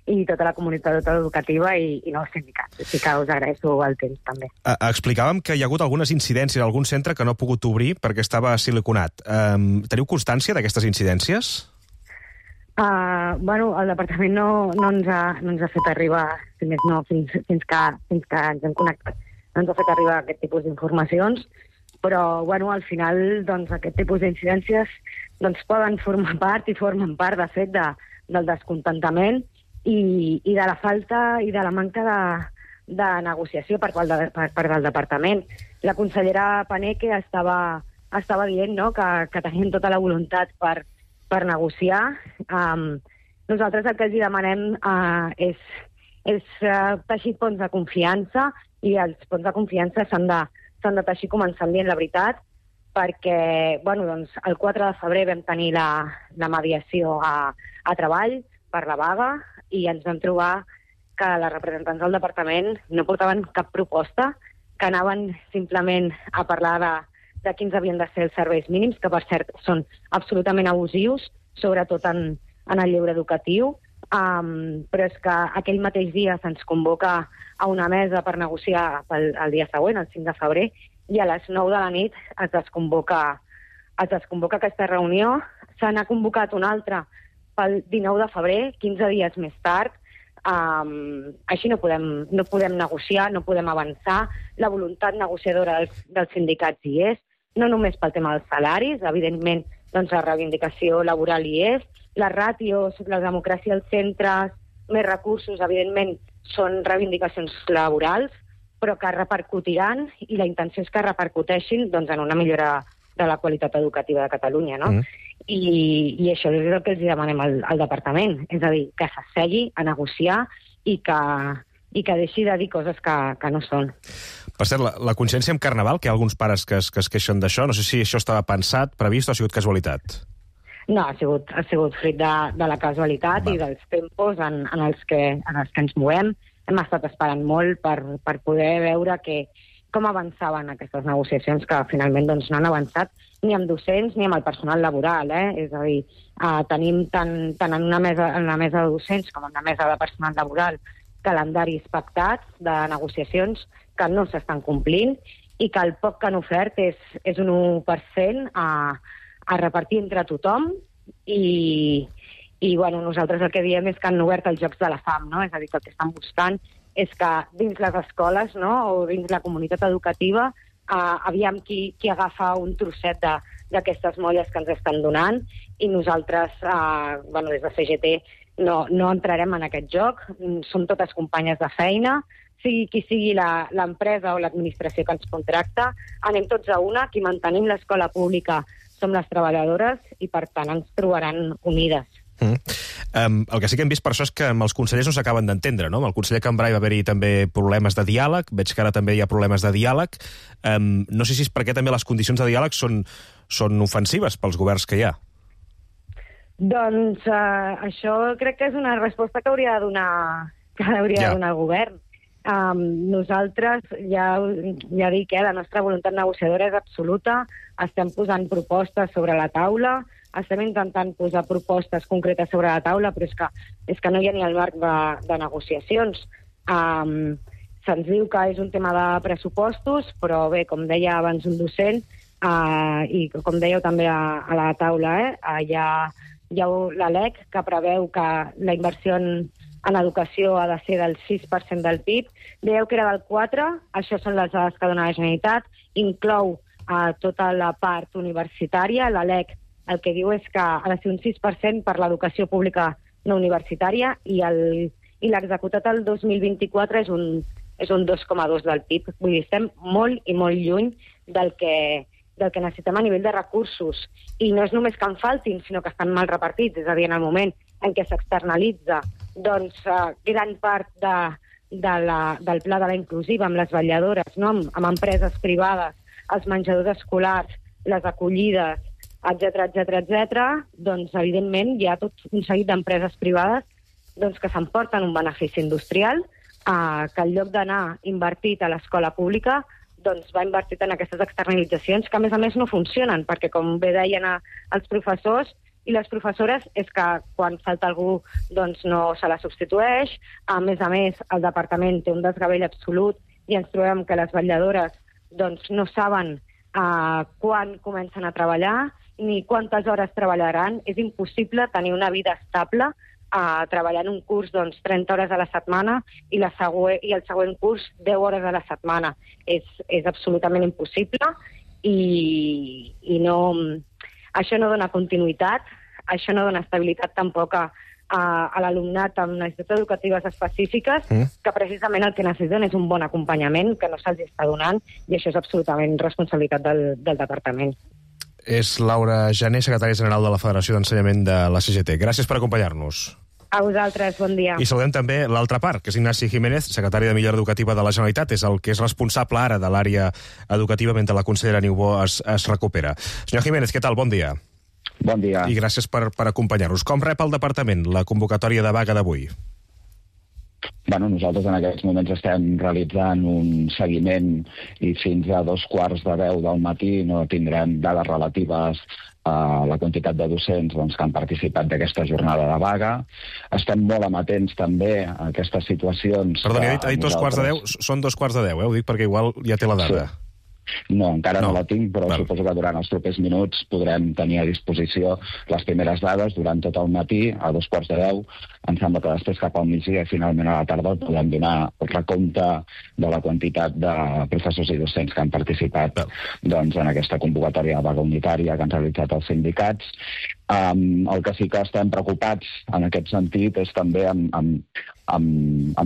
i tota la comunitat educativa i no els sindicats. Així que us agraeixo el temps, també. Explicàvem que hi ha hagut algunes incidències a algun centre que no ha pogut obrir perquè estava siliconat. Teniu constància d'aquestes incidències? El departament no ens ha fet arribar, si més no, fins que ens hem connectat, no ens ha fet arribar aquest tipus d'informacions, però al final doncs, aquest tipus d'incidències doncs, poden formar part i formen part, de fet, del descontentament i de la falta i de la manca de negociació per part del departament. La consellera Paneque estava dient, no?, que tenien tota la voluntat per negociar. Nosaltres el que els demanem és teixir ponts de confiança, i els ponts de confiança s'han de teixir començant dient la veritat, perquè el 4 de febrer vam tenir la mediació a treball per la vaga i ens vam trobar que les representants del departament no portaven cap proposta, que anaven simplement a parlar de quins havien de ser els serveis mínims, que per cert són absolutament abusius, sobretot en el lleure educatiu, però és que aquell mateix dia se'ns convoca a una mesa per negociar el dia següent, el 5 de febrer, i a les 9 de la nit es desconvoca aquesta reunió. Se n'ha convocat una altra pel 19 de febrer, 15 dies més tard. Així no podem negociar, no podem avançar. La voluntat negociadora dels sindicats hi és, no només pel tema dels salaris, evidentment doncs la reivindicació laboral hi és, les ràtios, la democràcia als centres, més recursos, evidentment, són reivindicacions laborals, però que repercutiran, i la intenció és que repercuteixin doncs, en una millora de la qualitat educativa de Catalunya, no? I això és el que els demanem al departament, és a dir, que s'assegui a negociar i que deixi de dir coses que no són. Per cert, la consciència amb Carnaval, que hi ha alguns pares que es queixen d'això, no sé si això estava pensat, previst o ha sigut casualitat? No, ha sigut fruit de la casualitat i dels tempos en els que ens movem. Hem estat esperant molt per poder veure com avançaven aquestes negociacions, que finalment doncs, no han avançat ni amb docents ni amb el personal laboral. És a dir, tenim tant en la mesa de docents com en la mesa de personal laboral calendaris pactats de negociacions que no s'estan complint i que el poc que han ofert és un 1% a repartir entre tothom i nosaltres el que diem és que han obert els jocs de la fam, no? És a dir, que el que estan buscant és que dins les escoles, no?, o dins la comunitat educativa aviam qui agafa un trosset d'aquestes molles que ens estan donant, i nosaltres, des de CGT, no entrarem en aquest joc. Som totes companyes de feina, sigui qui sigui l'empresa o l'administració que ens contracta, anem tots a una, qui mantenim l'escola pública som les treballadores i, per tant, ens trobaran unides. El que sí que hem vist per això és que amb els consellers no s'acaben d'entendre, no? Amb el conseller Cambray va haver-hi també problemes de diàleg, veig que ara també hi ha problemes de diàleg. No sé si és perquè també les condicions de diàleg són ofensives pels governs que hi ha. Doncs això crec que és una resposta que hauria de donar el govern. Nosaltres, ja dic, la nostra voluntat negociadora és absoluta, estem posant propostes sobre la taula, estem intentant posar propostes concretes sobre la taula, però és que no hi ha ni el marc de negociacions. Se'ns diu que és un tema de pressupostos, però bé, com deia abans un docent, i com dèieu també a la taula, hi ha la LEC que preveu que la inversió en educació ha de ser del 6% del PIB. Dèieu que era del 4%, això són les dades que dona la Generalitat, inclou tota la part universitària. La LEC el que diu és que ha de ser un 6% per l'educació pública no universitària i l'executat el 2024 és un 2,2% del PIB. Vull dir, estem molt i molt lluny del que necessitem a nivell de recursos. I no és només que en faltin, sinó que estan mal repartits. És a dir, en el moment en què s'externalitza gran part del pla de la inclusiva amb les vetlladores, no? amb empreses privades, els menjadors escolars, les acollides, etc., doncs, evidentment, hi ha tot un seguit d'empreses privades que s'emporten un benefici industrial que en lloc d'anar invertit a l'escola pública doncs va invertit en aquestes externalitzacions que, a més no funcionen, perquè, com bé deien els professors, i les professores és que quan falta algú doncs no se la substitueix. A més, el departament té un desgavell absolut i ens trobem que les vetlladores doncs, no saben quan comencen a treballar ni quantes hores treballaran. És impossible tenir una vida estable treballant un curs 30 hores a la setmana i el següent curs 10 hores a la setmana. És absolutament impossible i això no dona continuïtat, això no dona estabilitat tampoc a l'alumnat amb necessitats educatives específiques, que precisament el que necessiten és un bon acompanyament, que no se'ls està donant, i això és absolutament responsabilitat del departament. És Laura Jané, secretària general de la Federació d'Ensenyament de la CGT. Gràcies per acompanyar-nos. A vosaltres, bon dia. I saludem també l'altra part, que és Ignasi Jiménez, secretari de Millora Educativa de la Generalitat, és el que és responsable ara de l'àrea educativa mentre la consellera Niubó es recupera. Senyor Jiménez, què tal? Bon dia. Bon dia. I gràcies per acompanyar-nos. Com rep el departament la convocatòria de vaga d'avui? Nosaltres en aquests moments estem realitzant un seguiment i fins a 2:15 del matí no tindrem dades relatives a la quantitat de docents que han participat d'aquesta jornada de vaga. Estem molt amatents també a aquestes situacions... Perdoni, ha dit 2:15, són 2:15, ho dic perquè igual ja té la dada. Sí. No, encara no la tinc, però suposo que durant els propers minuts podrem tenir a disposició les primeres dades durant tot el matí, a 2:15. Em sembla que després cap al migdia i finalment a la tarda podem donar el recompte de la quantitat de professors i docents que han participat en aquesta convocatòria de vaga unitària que han realitzat els sindicats. El que sí que estem preocupats en aquest sentit és també amb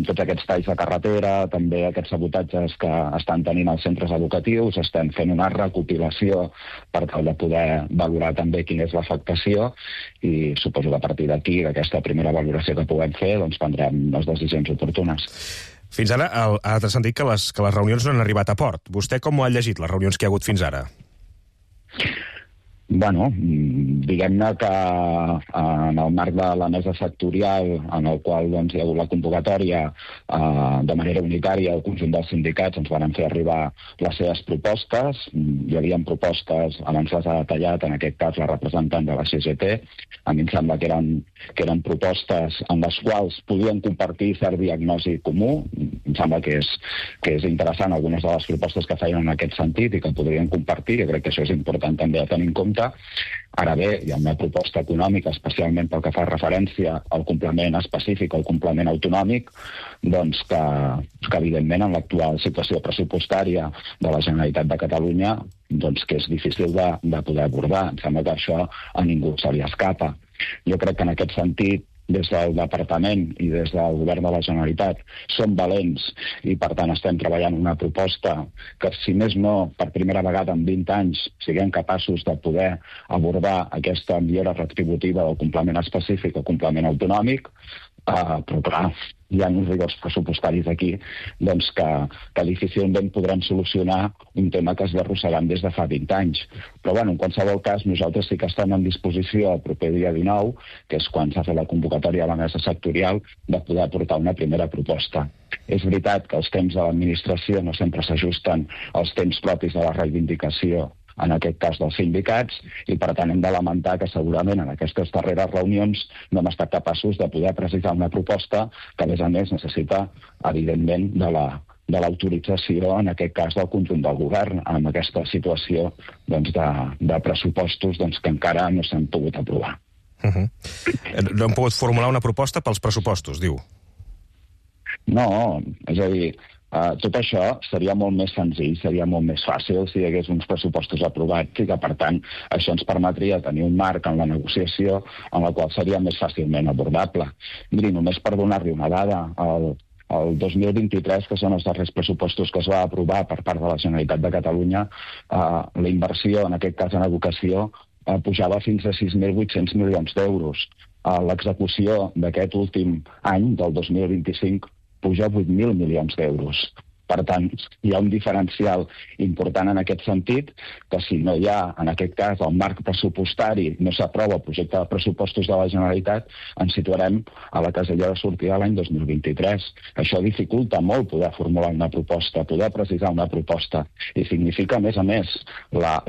tots aquests talls de carretera, també aquests sabotatges que estan tenint els centres educatius. Estem fent una recopilació per tal de poder valorar també quina és l'afectació i suposo que a partir d'aquí, d'aquesta primera valoració que puguem fer, prendrem les decisions oportunes. Fins ara ha transcendit que les reunions no han arribat a port. Vostè com ho ha llegit, les reunions que hi ha hagut fins ara? Diguem-ne que en el marc de la mesa sectorial en el qual hi ha hagut la convocatòria de manera unitària, el conjunt dels sindicats ens van fer arribar les seves propostes. Hi havia propostes, abans les ha detallat, en aquest cas la representant de la CGT. A mi em sembla que eren propostes en les quals podien compartir cert diagnosi comú. Em sembla que és interessant algunes de les propostes que feien en aquest sentit i que podrien compartir. Jo crec que això és important també a tenir en compte. Ara bé, hi ha una proposta econòmica, especialment pel que fa referència al complement específic, al complement autonòmic, que evidentment en l'actual situació pressupostària de la Generalitat de Catalunya que és difícil de poder abordar. Em sembla que això a ningú se li escapa. Jo crec que en aquest sentit des del Departament i des del Govern de la Generalitat som valents i, per tant, estem treballant una proposta que, si més no, per primera vegada en 20 anys siguem capaços de poder abordar aquesta millora retributiva del complement específic o complement autonòmic, però, clar, hi ha uns rigors pressupostaris aquí que difícilment podrem solucionar un tema que es va arrossegant des de fa 20 anys. Però, en qualsevol cas, nosaltres sí que estem en disposició el proper dia 19, que és quan s'ha fet la convocatòria a la mesa sectorial, de poder aportar una primera proposta. És veritat que els temps de l'administració no sempre s'ajusten als temps propis de la reivindicació, en aquest cas dels sindicats, i per tant hem de lamentar que segurament en aquestes darreres reunions no hem estat capaços de poder precisar una proposta que, a més, necessita, evidentment, de l'autorització, en aquest cas, del conjunt del govern, amb aquesta situació de pressupostos que encara no s'han pogut aprovar. No hem pogut formular una proposta pels pressupostos, diu? No, és a dir, tot això seria molt més senzill, seria molt més fàcil si hi hagués uns pressupostos aprovats i que, per tant, això ens permetria tenir un marc en la negociació en la qual seria més fàcilment abordable. Miri, només per donar-li una dada, el 2023, que són els darrers pressupostos que es va aprovar per part de la Generalitat de Catalunya, la inversió, en aquest cas en educació, pujava fins a 6.800 milions d'euros. L'execució d'aquest últim any, del 2025, puja 8.000 milions d'euros. Per tant, hi ha un diferencial important en aquest sentit, que si no hi ha, en aquest cas, el marc pressupostari, no s'aprova el projecte de pressupostos de la Generalitat, ens situarem a la casella de sortida l'any 2023. Això dificulta molt poder formular una proposta, poder precisar una proposta, i significa, a més, la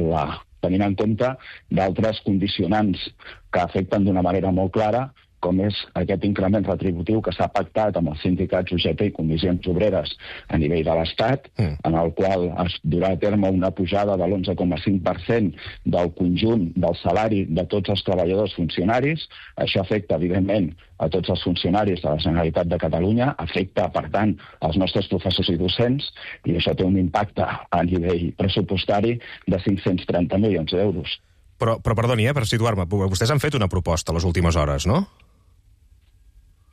tenint en compte d'altres condicionants que afecten d'una manera molt clara, com és aquest increment retributiu que s'ha pactat amb els sindicats UGT i comissions obreres a nivell de l'Estat, en el qual es durà a terme una pujada de l'11,5% del conjunt del salari de tots els treballadors funcionaris. Això afecta, evidentment, a tots els funcionaris de la Generalitat de Catalunya, afecta, per tant, als nostres professors i docents, i això té un impacte a nivell pressupostari de 530 milions d'euros. Però perdoni, per situar-me, vostès han fet una proposta a les últimes hores, no?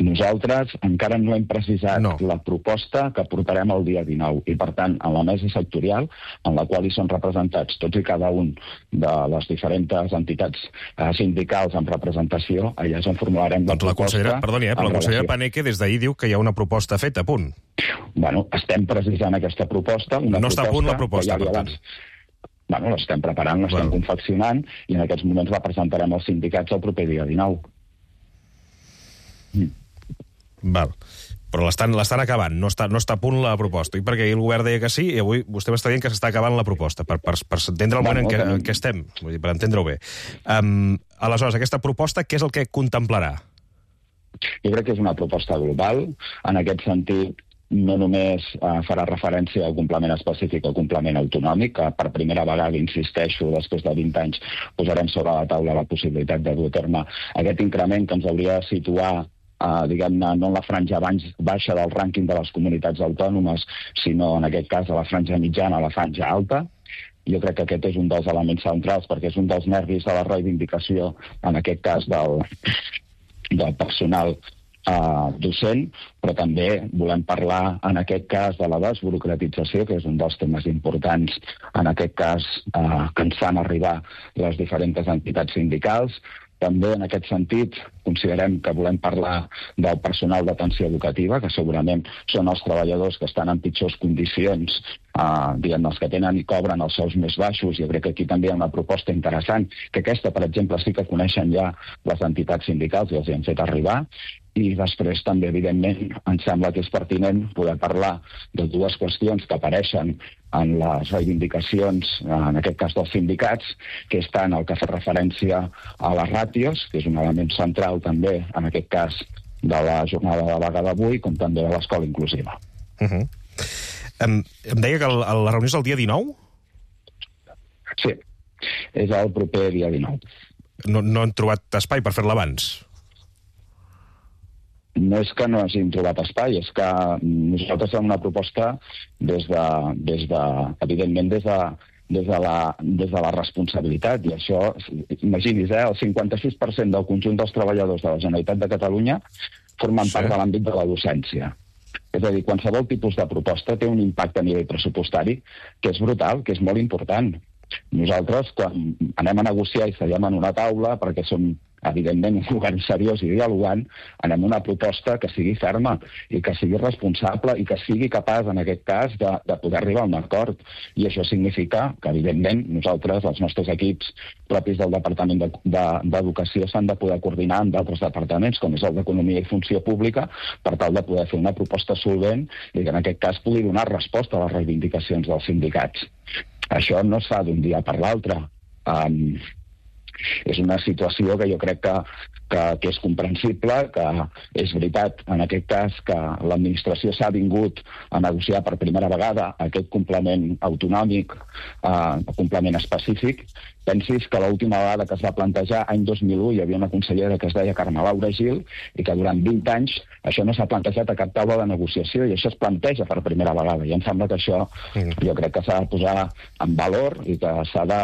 Nosaltres encara no hem precisat la proposta que portarem el dia 19 i, per tant, en la mesa sectorial, en la qual hi són representats tots i cada un de les diferents entitats sindicals amb representació, allà és on formularem la proposta. Perdoni, però la consellera Paneque des d'ahir diu que hi ha una proposta feta, a punt. Bueno, estem precisant aquesta proposta. No està a punt la proposta, per tant. Bueno, l'estem preparant, l'estem confeccionant, i en aquests moments la presentarem als sindicats el proper dia 19. Val. Però l'estan acabant, no està a punt la proposta. I perquè ahir el govern deia que sí, i avui vostè m'està dient que s'està acabant la proposta, per entendre el moment en què estem, vull dir, per entendre-ho bé. Aleshores, aquesta proposta, què és el que contemplarà? Jo crec que és una proposta global. En aquest sentit, no només farà referència al complement específic o complement autonòmic, que per primera vegada, insisteixo, després de 20 anys, posarem sobre la taula la possibilitat de dur a terme aquest increment que ens hauria de situar diguem-ne, no en la franja baixa del rànquing de les comunitats autònomes, sinó en aquest cas a la franja mitjana, a la franja alta. Jo crec que aquest és un dels elements centrals, perquè és un dels nervis de la reivindicació, en aquest cas del personal docent, però també volem parlar, en aquest cas, de la desburocratització, que és un dels temes importants, en aquest cas, que ens fan arribar les diferents entitats sindicals. També, en aquest sentit, considerem que volem parlar del personal d'atenció educativa, que segurament són els treballadors que estan en pitjors condicions, diguem, els que tenen i cobren els sous més baixos. Jo crec que aquí també hi ha una proposta interessant, que aquesta, per exemple, sí que coneixen ja les entitats sindicals i els hi han fet arribar. I després també, evidentment, ens sembla que és pertinent poder parlar de dues qüestions que apareixen en les reivindicacions, en aquest cas dels sindicats, que és tant el que fa referència a les ràtios, que és un element central també, en aquest cas, de la jornada de vaga d'avui, com també de l'escola inclusiva. Em deia que la reunió és el dia 19? Sí, és el proper dia 19. No han trobat espai per fer-la abans? No és que no hagin trobat espai, és que nosaltres fem una proposta evidentment des de la responsabilitat, i això, imagini's, el 56% del conjunt dels treballadors de la Generalitat de Catalunya formen part de l'àmbit de la docència. És a dir, qualsevol tipus de proposta té un impacte a nivell pressupostari que és brutal, que és molt important. Nosaltres, quan anem a negociar i seiem en una taula, perquè som evidentment un govern seriós i dialogant, anem a una proposta que sigui ferma i que sigui responsable i que sigui capaç, en aquest cas, de poder arribar a un acord. I això significa que, evidentment, nosaltres, els nostres equips propis del Departament d'Educació, s'han de poder coordinar amb d'altres departaments, com és el d'Economia i Funció Pública, per tal de poder fer una proposta solvent i que, en aquest cas, pugui donar resposta a les reivindicacions dels sindicats. Això no es fa d'un dia per l'altre. És una situació que jo crec que és comprensible, que és veritat, en aquest cas, que l'administració s'ha vingut a negociar per primera vegada aquest complement autonòmic, complement específic. Pensis que l'última vegada que es va plantejar, any 2001, hi havia una consellera que es deia Carme Laura Gil, i que durant 20 anys això no s'ha plantejat a cap taula de negociació, i això es planteja per primera vegada. I em sembla que això jo crec que s'ha de posar en valor i que s'ha de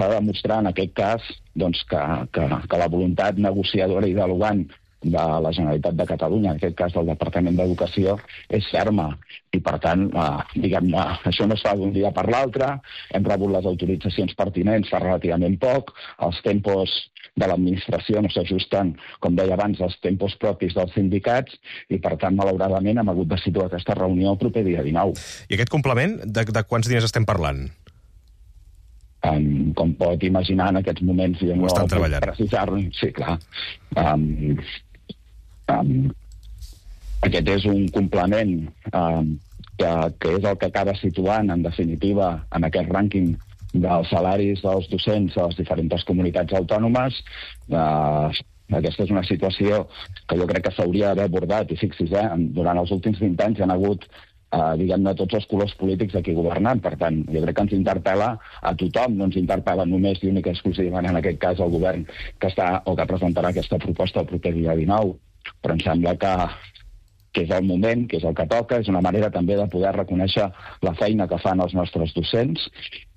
demostrar, en aquest cas, doncs, que la voluntat negociadora i dialogant de la Generalitat de Catalunya, en aquest cas del Departament d'Educació, és ferma. I, per tant, diguem-ne, això no es fa d'un dia per l'altre. Hem rebut les autoritzacions pertinents fa relativament poc. Els tempos de l'administració no s'ajusten, com deia abans, als tempos propis dels sindicats i, per tant, malauradament, hem hagut de situar aquesta reunió el proper dia 19. I aquest complement, de quants diners estem parlant? Com pot imaginar, en aquests moments jo no puc precisar-ho. Sí, clar. Aquest és un complement que és el que acaba situant, en definitiva, en aquest rànquing dels salaris dels docents a les diferents comunitats autònomes. Aquesta és una situació que jo crec que s'hauria d'haver abordat, i fixi's, durant els últims 20 anys hi ha hagut diguem-ne, tots els colors polítics aquí governant. Per tant, jo crec que ens interpel·la a tothom, no ens interpel·la només i única exclusivament en aquest cas el govern que està o que presentarà aquesta proposta el proper dia 19. Però em sembla que és el moment, que és el que toca, és una manera també de poder reconèixer la feina que fan els nostres docents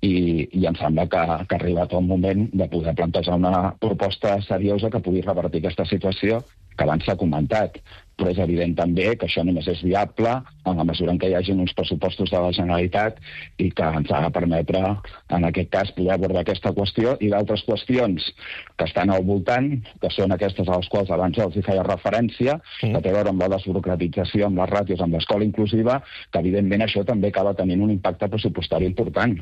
i em sembla que ha arribat el moment de poder plantejar una proposta seriosa que pugui revertir aquesta situació que abans s'ha comentat. Però és evident també que això només és viable en la mesura en què hi hagi uns pressupostos de la Generalitat i que ens ha de permetre, en aquest cas, poder abordar aquesta qüestió i d'altres qüestions que estan al voltant, que són aquestes a les quals abans els hi feia referència, que té a veure amb la desburocratització, amb les ràtios, amb l'escola inclusiva, que evidentment això també acaba tenint un impacte pressupostari important.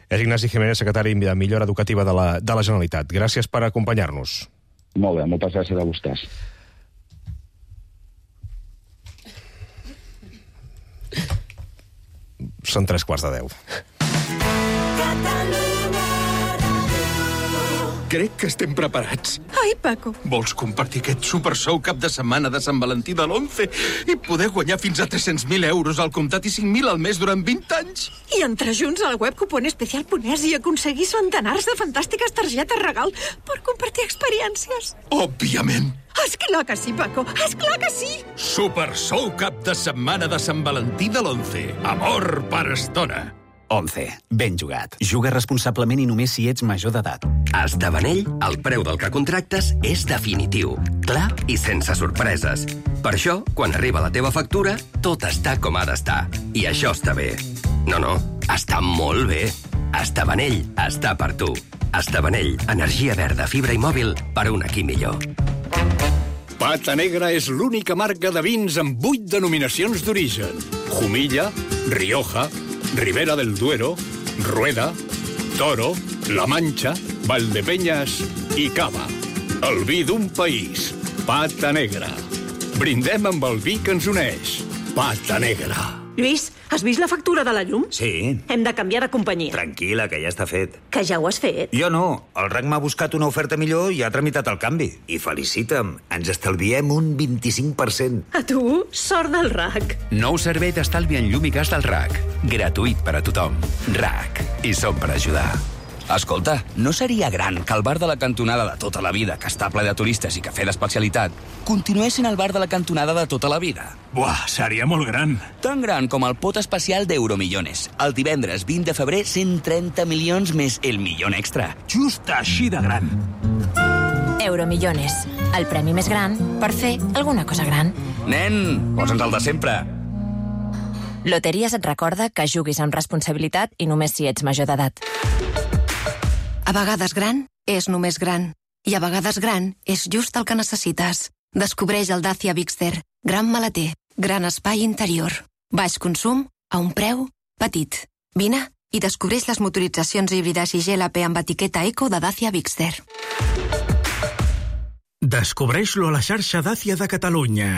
És Ignasi Jiménez, secretari de Millora Educativa de la Generalitat. Gràcies per acompanyar-nos. Molt bé, moltes gràcies a vostès. Són 3:15. Crec que estem preparats. Ai, Paco. Vols compartir aquest supersou cap de setmana de Sant Valentí de l'11 i poder guanyar fins a 300.000 euros al comptat i 5.000 al mes durant 20 anys? I entrar junts al web cuponespecial.es i aconseguir centenars de fantàstiques targetes regal per compartir experiències. Òbviament. Esclar que sí, Paco. Esclar que sí. Supersou cap de setmana de Sant Valentí de l'11. Amor per estona. 11. Ben jugat. Juga responsablement i només si ets major d'edat. A Estabanell, el preu del que contractes és definitiu, clar i sense sorpreses. Per això, quan arriba la teva factura, tot està com ha d'estar. I això està bé. No, està molt bé. Estabanell està per tu. Estabanell, energia verda, fibra i mòbil per un aquí millor. Pata Negra és l'única marca de vins amb 8 denominacions d'origen. Jumilla, Rioja, Ribera del Duero, Rueda, Toro, La Mancha, Valdepeñas i Cava. El vi d'un país. Pata Negra. Brindem amb el vi que ens uneix. Pata Negra. Lluís, has vist la factura de la llum? Sí. Hem de canviar de companyia. Tranquil·la, que ja està fet. Que ja ho has fet? Jo no. El RAC m'ha buscat una oferta millor i ha tramitat el canvi. I felicita'm, ens estalviem un 25%. A tu, sort del RAC. Nou servei d'estalvi en llum i gas del RAC. Gratuït per a tothom. RAC. I som per ajudar. Escolta, no seria gran que el bar de la cantonada de tota la vida, que està ple de turistes i cafè d'especialitat, continués sent el bar de la cantonada de tota la vida? Buah, seria molt gran. Tan gran com el pot especial d'Euromillones. El divendres 20 de febrer, 130 milions més el milió extra. Just així de gran. Euromillones, el premi més gran per fer alguna cosa gran. Nen, posa'ns el de sempre. Loteries et recorda que juguis amb responsabilitat i només si ets major d'edat. A vegades gran és només gran. I a vegades gran és just el que necessites. Descobreix el Dacia Bigster. Gran maleter, gran espai interior. Baix consum a un preu petit. Vine i descobreix les motoritzacions híbrides i GLP amb etiqueta Eco de Dacia Bigster. Descobreix-lo a la xarxa Dacia de Catalunya.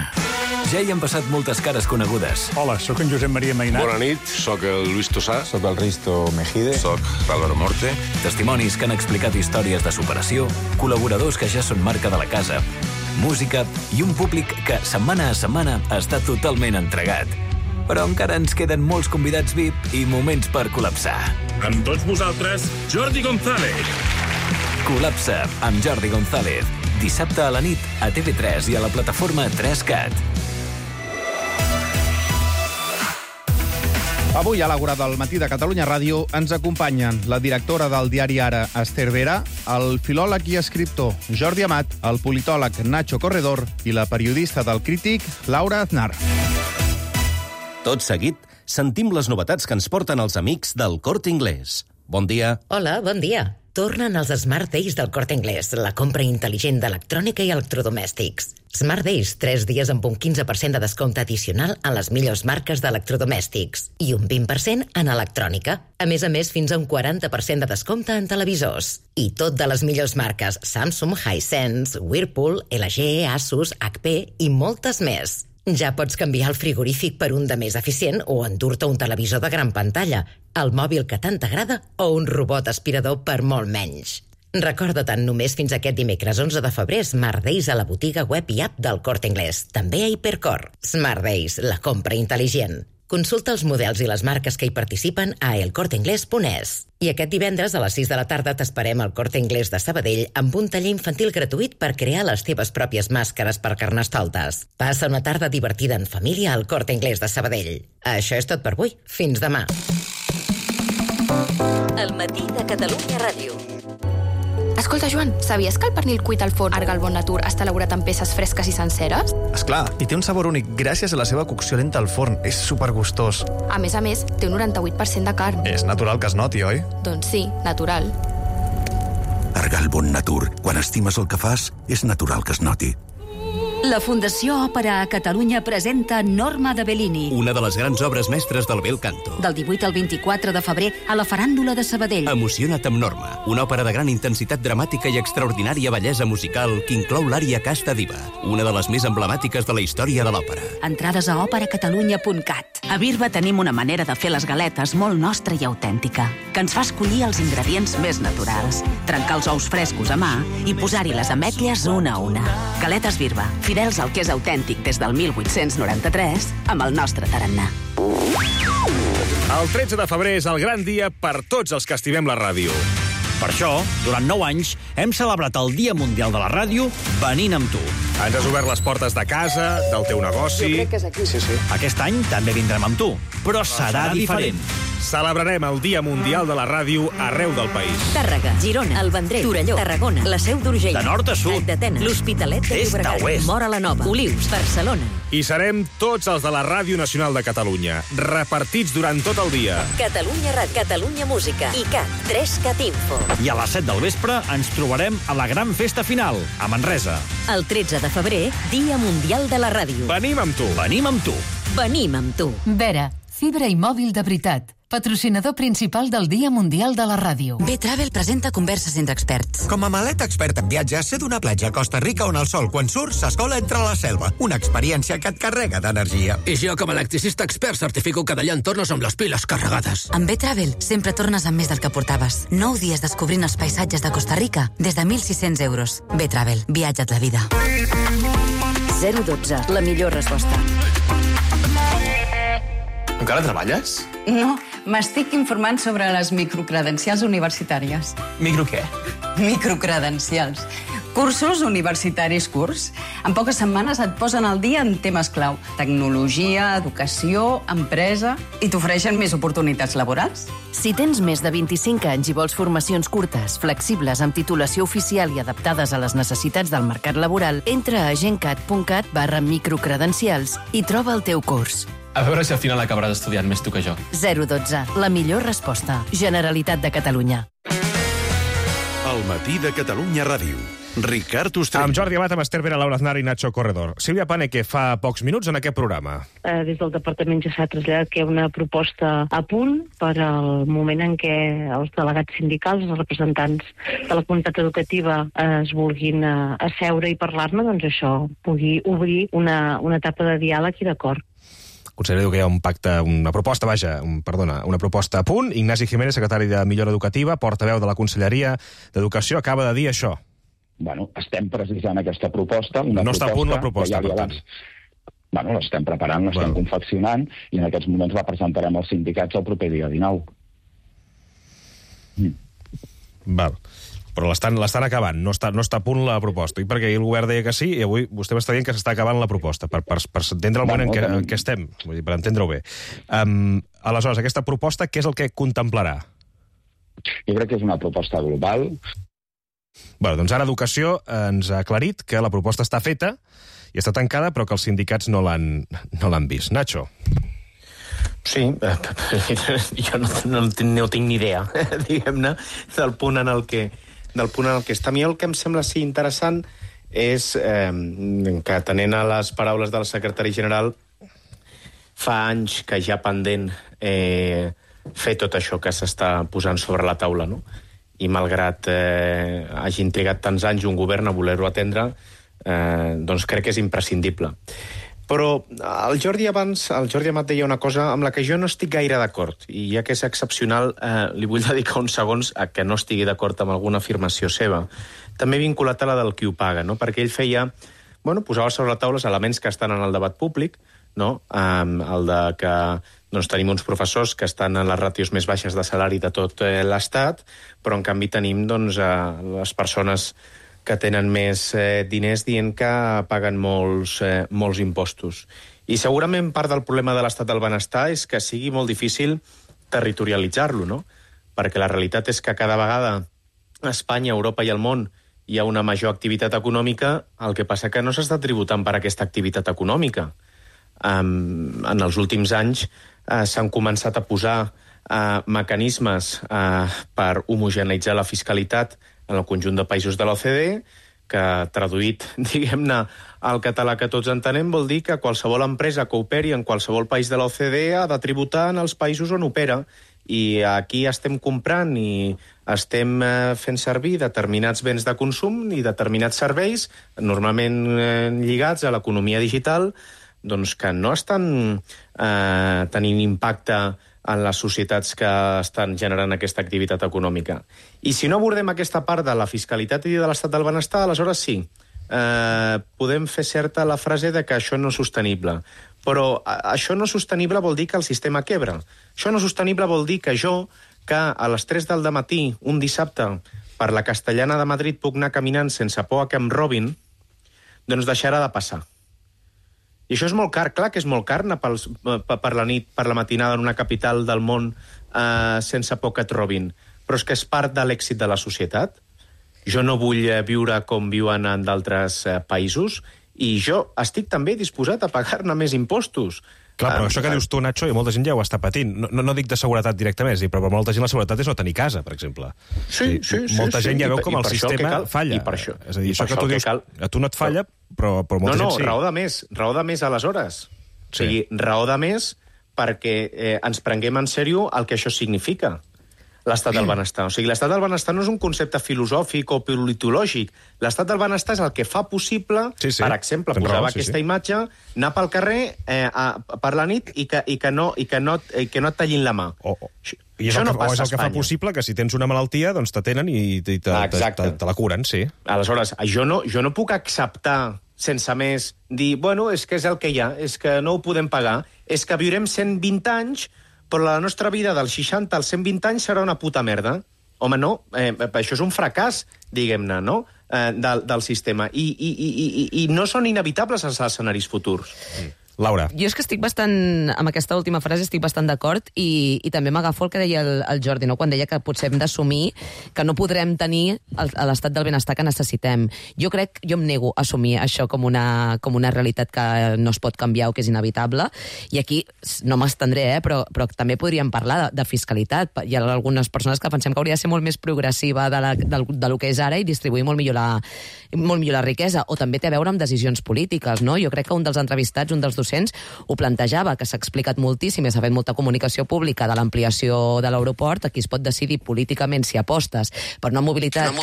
Ja hi han passat moltes cares conegudes. Hola, sóc en Josep Maria Mainat. Bona nit, sóc el Luis Tosà. Sóc el Risto Mejide. Sóc l'Álvaro Morte. Testimonis que han explicat històries de superació, col·laboradors que ja són marca de la casa, música i un públic que setmana a setmana està totalment entregat. Però encara ens queden molts convidats VIP i moments per col·lapsar. Amb tots vosaltres, Jordi González. Col·lapsa amb Jordi González. Dissabte a la nit a TV3 i a la plataforma 3CAT. Avui a l'Àgora del Matí de Catalunya Ràdio ens acompanyen la directora del diari Ara, Esther Vera, el filòleg i escriptor Jordi Amat, el politòleg Nacho Corredor i la periodista del Crític, Laura Aznar. Tot seguit, sentim les novetats que ens porten els amics del Corte Inglés. Bon dia. Hola, bon dia. Tornen els Smart Days del Corte Inglés, la compra intel·ligent d'electrònica i electrodomèstics. Smart Days, 3 dies amb un 15% de descompte addicional en les millors marques d'electrodomèstics i un 20% en electrònica. A més, fins a un 40% de descompte en televisors. I tot de les millors marques Samsung, Hisense, Whirlpool, LG, Asus, HP i moltes més. Ja pots canviar el frigorífic per un de més eficient o endur-te un televisor de gran pantalla, el mòbil que tant t'agrada o un robot aspirador per molt menys. Recorda-te'n, només fins aquest dimecres 11 de febrer, Smart Days a la botiga web i app del Corte Inglés. També a Hipercor. Smart Days, la compra intel·ligent. Consulta els models i les marques que hi participen a elcorteinglés.es. I aquest divendres a les 6 de la tarda t'esperem al Corte Inglés de Sabadell amb un taller infantil gratuït per crear les teves pròpies màscares per carnestoltes. Passa una tarda divertida en família al Corte Inglés de Sabadell. Això és tot per avui. Fins demà. El matí de Catalunya Ràdio. Escolta, Joan, sabies que el pernil cuit al forn Argal Bon Natur està elaborat amb peces fresques i senceres? Esclar, i té un sabor únic gràcies a la seva cocció lenta al forn. És supergustós. A més, té un 98% de carn. És natural que es noti, oi? Doncs sí, natural. Argal Bon Natur. Quan estimes el que fas, és natural que es noti. La Fundació Òpera a Catalunya presenta Norma de Bellini. Una de les grans obres mestres del bel canto. Del 18 al 24 de febrer a la Faràndula de Sabadell. Emociona't amb Norma, una òpera de gran intensitat dramàtica i extraordinària bellesa musical que inclou l'ària Casta Diva, una de les més emblemàtiques de la història de l'òpera. Entrades a operacatalunya.cat. A Birba tenim una manera de fer les galetes molt nostra i autèntica, que ens fa escollir els ingredients més naturals, trencar els ous frescos a mà i posar-hi les ametlles una a una. Galetes Birba, fidels al que és autèntic des del 1893, amb el nostre tarannà. El 13 de febrer és el gran dia per tots els que estimem la ràdio. Per això, durant 9 anys, hem celebrat el Dia Mundial de la Ràdio venint amb tu. Ens has obert les portes de casa, del teu negoci... Jo crec que és aquí. Sí. Aquest any també vindrem amb tu, però serà diferent. Celebrarem el Dia Mundial de la Ràdio arreu del país. Tàrrega, Girona, el Vendrell, Torelló, Tarragona, la Seu d'Urgell, de nord a sud, d'Atenes, l'Hospitalet de Llobregat, Móra la Nova, Olius, Barcelona. I serem tots els de la Ràdio Nacional de Catalunya, repartits durant tot el dia. Catalunya Ràdio, Catalunya Música i CAT, 3CAT Info. I a les 7 del vespre ens trobarem a la gran festa final, a Manresa. El 13 de febrer, Dia Mundial de la Ràdio. Venim amb tu. Venim amb tu. Venim amb tu. Vera, fibra i mòbil de veritat. Patrocinador principal del Dia Mundial de la Ràdio. B-Travel presenta converses entre experts. Com a maleta expert en viatges, sé d'una platja a Costa Rica on el sol, quan surts, s'escola entre la selva. Una experiència que et carrega d'energia. I jo, com a electricista expert, certifico que d'allà en tornes amb les piles carregades. Amb B-Travel sempre tornes amb més del que portaves. 9 dies descobrint els paisatges de Costa Rica des de 1.600 euros. B-Travel, viatja't la vida. 012, la millor resposta. Encara treballes? No, m'estic informant sobre les microcredencials universitàries. Micro què? Microcredencials. Cursos universitaris curts. En poques setmanes et posen al dia en temes clau. Tecnologia, educació, empresa... I t'ofereixen més oportunitats laborals. Si tens més de 25 anys i vols formacions curtes, flexibles, amb titulació oficial i adaptades a les necessitats del mercat laboral, entra a gencat.cat/microcredencials i troba el teu curs. A veure si al final acabaràs estudiant més tu que jo. 012, la millor resposta. Generalitat de Catalunya. El matí de Catalunya Ràdio. Ricard Ostrell. Amb Jordi Amat, amb Esther Vera, Laura Aznar i Nacho Corredor. Sílvia Paneque, fa pocs minuts en aquest programa. Des del departament ja s'ha traslladat que hi ha una proposta a punt per al moment en què els delegats sindicals, els representants de la comunitat educativa es vulguin asseure i parlar-ne, doncs això pugui obrir una etapa de diàleg i d'acord. El conseller diu que hi ha un pacte, una proposta a punt. Ignasi Jiménez, secretari de Millora Educativa, portaveu de la Conselleria d'Educació, acaba de dir això. Bueno, estem precisant aquesta proposta. No està a punt la proposta, per tant. Bueno, l'estem preparant, l'estem confeccionant, i en aquests moments la presentarem als sindicats el proper dia 19. Val. Però l'estan acabant, no està a punt la proposta. I perquè el govern deia que sí, i avui vostè m'està dient que s'està acabant la proposta, per entendre el moment en què estem, vull dir, per entendre-ho bé. Aleshores, aquesta proposta, què és el que contemplarà? Jo crec que és una proposta global. Bé, doncs ara Educació ens ha aclarit que la proposta està feta i està tancada, però que els sindicats no l'han vist. Nacho. Sí, jo no tinc ni idea, diguem-ne, del punt en el que està. A mi el que em sembla sí interessant és que, atenent a les paraules del secretari general, fa anys que ja pendent fer tot això que s'està posant sobre la taula, no? I malgrat hagin trigat tants anys un govern a voler-ho atendre, doncs crec que és imprescindible. Però el Jordi Amat deia una cosa amb la que jo no estic gaire d'acord, i ja que és excepcional, li vull dedicar uns segons a que no estigui d'acord amb alguna afirmació seva. També vinculat a la del qui ho paga, no? Perquè ell feia, posava sobre la taula els elements que estan en el debat públic, no? El de que tenim uns professors que estan en les ràtios més baixes de salari de tot l'Estat, però en canvi tenim les persones que tenen més diners dient que paguen molts impostos. I segurament part del problema de l'estat del benestar és que sigui molt difícil territorialitzar-lo, no? Perquè la realitat és que cada vegada a Espanya, Europa i al món hi ha una major activitat econòmica, el que passa que no s'està tributant per aquesta activitat econòmica. En els últims anys s'han començat a posar mecanismes per homogeneïtzar la fiscalitat en el conjunt de països de l'OCDE, que traduït, diguem-ne, al català que tots entenem, vol dir que qualsevol empresa que operi en qualsevol país de l'OCDE ha de tributar en els països on opera. I aquí estem comprant i estem fent servir determinats béns de consum i determinats serveis, normalment lligats a l'economia digital, doncs que no estan tenint impacte en les societats que estan generant aquesta activitat econòmica. I si no abordem aquesta part de la fiscalitat i de l'estat del benestar, aleshores sí, podem fer certa la frase de que això no és sostenible. Però això no sostenible vol dir que el sistema quebra. Això no sostenible vol dir que jo, que a les 3 del matí, un dissabte, per la Castellana de Madrid puc anar caminant sense por a que em robin, doncs deixarà de passar. I això és molt car, clar que és molt car anar per la nit, per la matinada en una capital del món sense por que et robin. Però és que és part de l'èxit de la societat. Jo no vull viure com viuen en d'altres països i jo estic també disposat a pagar-ne més impostos. Clar, però això que dius tu, Nacho, i molta gent ja ho està patint. No dic de seguretat directament, però per molta gent la seguretat és no tenir casa, per exemple. Sí. Molta gent ja veu com el sistema falla. És a dir, això que tu dius, a tu no et falla, però molta gent sí. No, raó de més aleshores. O sigui, raó de més perquè ens prenguem en sèrio el que això significa, l'estat del benestar. O sigui, l'estat del benestar no és un concepte filosòfic o politològic. L'estat del benestar és el que fa possible, per exemple, posava aquesta imatge, anar pel carrer per la nit i que no et tallin la mà. I és el que fa possible que si tens una malaltia, doncs t'atenen i te la curen, sí. Aleshores, jo no puc acceptar sense més dir, és que és el que hi ha, és que no ho podem pagar, és que viurem 120 anys, però la nostra vida dels 60 als 120 anys serà una puta merda. Home, no, això és un fracàs, diguem-ne, no?, del sistema. I no són inevitables els escenaris futurs. Laura. Jo és que estic bastant, amb aquesta última frase estic bastant d'acord i també m'agafo el que deia el Jordi, no? Quan deia que potser hem d'assumir que no podrem tenir l'estat del benestar que necessitem. Jo em nego a assumir això com una realitat que no es pot canviar o que és inevitable, i aquí no m'estendré, però també podríem parlar de fiscalitat. Hi ha algunes persones que pensem que hauria de ser molt més progressiva del que és ara i distribuir molt millor la riquesa, o també té a veure amb decisions polítiques, no? Jo crec que un dels entrevistats, un dels docents, ho plantejava, que s'ha explicat moltíssim i s'ha fet molta comunicació pública de l'ampliació de l'aeroport. Aquí es pot decidir políticament si apostes per una mobilitat...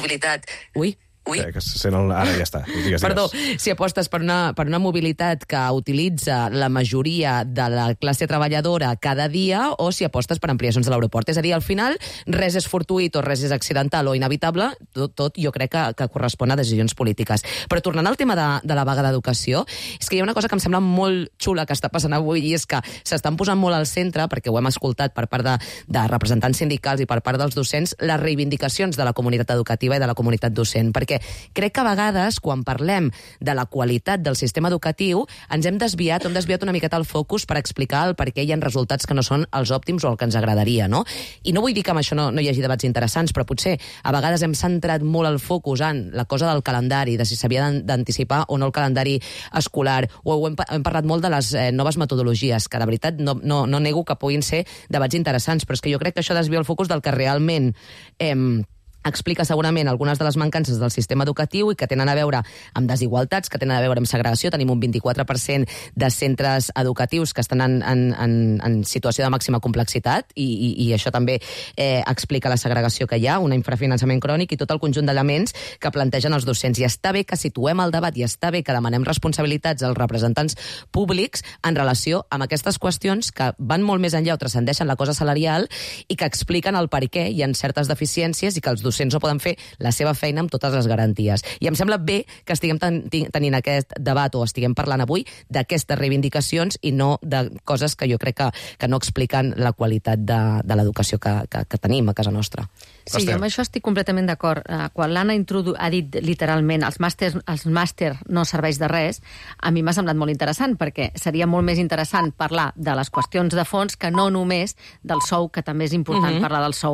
Ui. Que se sent ara ja està. Perdó, si apostes per una mobilitat que utilitza la majoria de la classe treballadora cada dia, o si apostes per ampliacions de l'aeroport. És a dir, al final, res és fortuït o res és accidental o inevitable, tot jo crec que correspon a decisions polítiques. Però tornant al tema de la vaga d'educació, és que hi ha una cosa que em sembla molt xula que està passant avui, i és que s'estan posant molt al centre, perquè ho hem escoltat per part de representants sindicals i per part dels docents, les reivindicacions de la comunitat educativa i de la comunitat docent, perquè crec que a vegades, quan parlem de la qualitat del sistema educatiu, ens hem desviat una miqueta el focus per explicar el per què hi ha resultats que no són els òptims o el que ens agradaria, no? I no vull dir que amb això no hi hagi debats interessants, però potser a vegades hem centrat molt el focus en la cosa del calendari, de si s'havia d'anticipar o no el calendari escolar, o hem parlat molt de les noves metodologies, que de veritat no nego que puguin ser debats interessants, però és que jo crec que això desvia el focus del que realment explica segurament algunes de les mancances del sistema educatiu i que tenen a veure amb desigualtats, que tenen a veure amb segregació. Tenim un 24% de centres educatius que estan en situació de màxima complexitat i això també explica la segregació que hi ha, un infrafinançament crònic i tot el conjunt d'elements que plantegen els docents. I està bé que situem el debat i està bé que demanem responsabilitats als representants públics en relació amb aquestes qüestions que van molt més enllà o transcendeixen la cosa salarial i que expliquen el per què hi ha certes deficiències i que els docents no poden fer la seva feina amb totes les garanties. I em sembla bé que estiguem tenint aquest debat o estiguem parlant avui d'aquestes reivindicacions i no de coses que jo crec que no expliquen la qualitat de l'educació que tenim a casa nostra. Sí, jo amb això estic completament d'acord. Quan l'Anna ha dit literalment els màster no serveix de res, a mi m'ha semblat molt interessant, perquè seria molt més interessant parlar de les qüestions de fons que no només del sou, que també és important parlar del sou.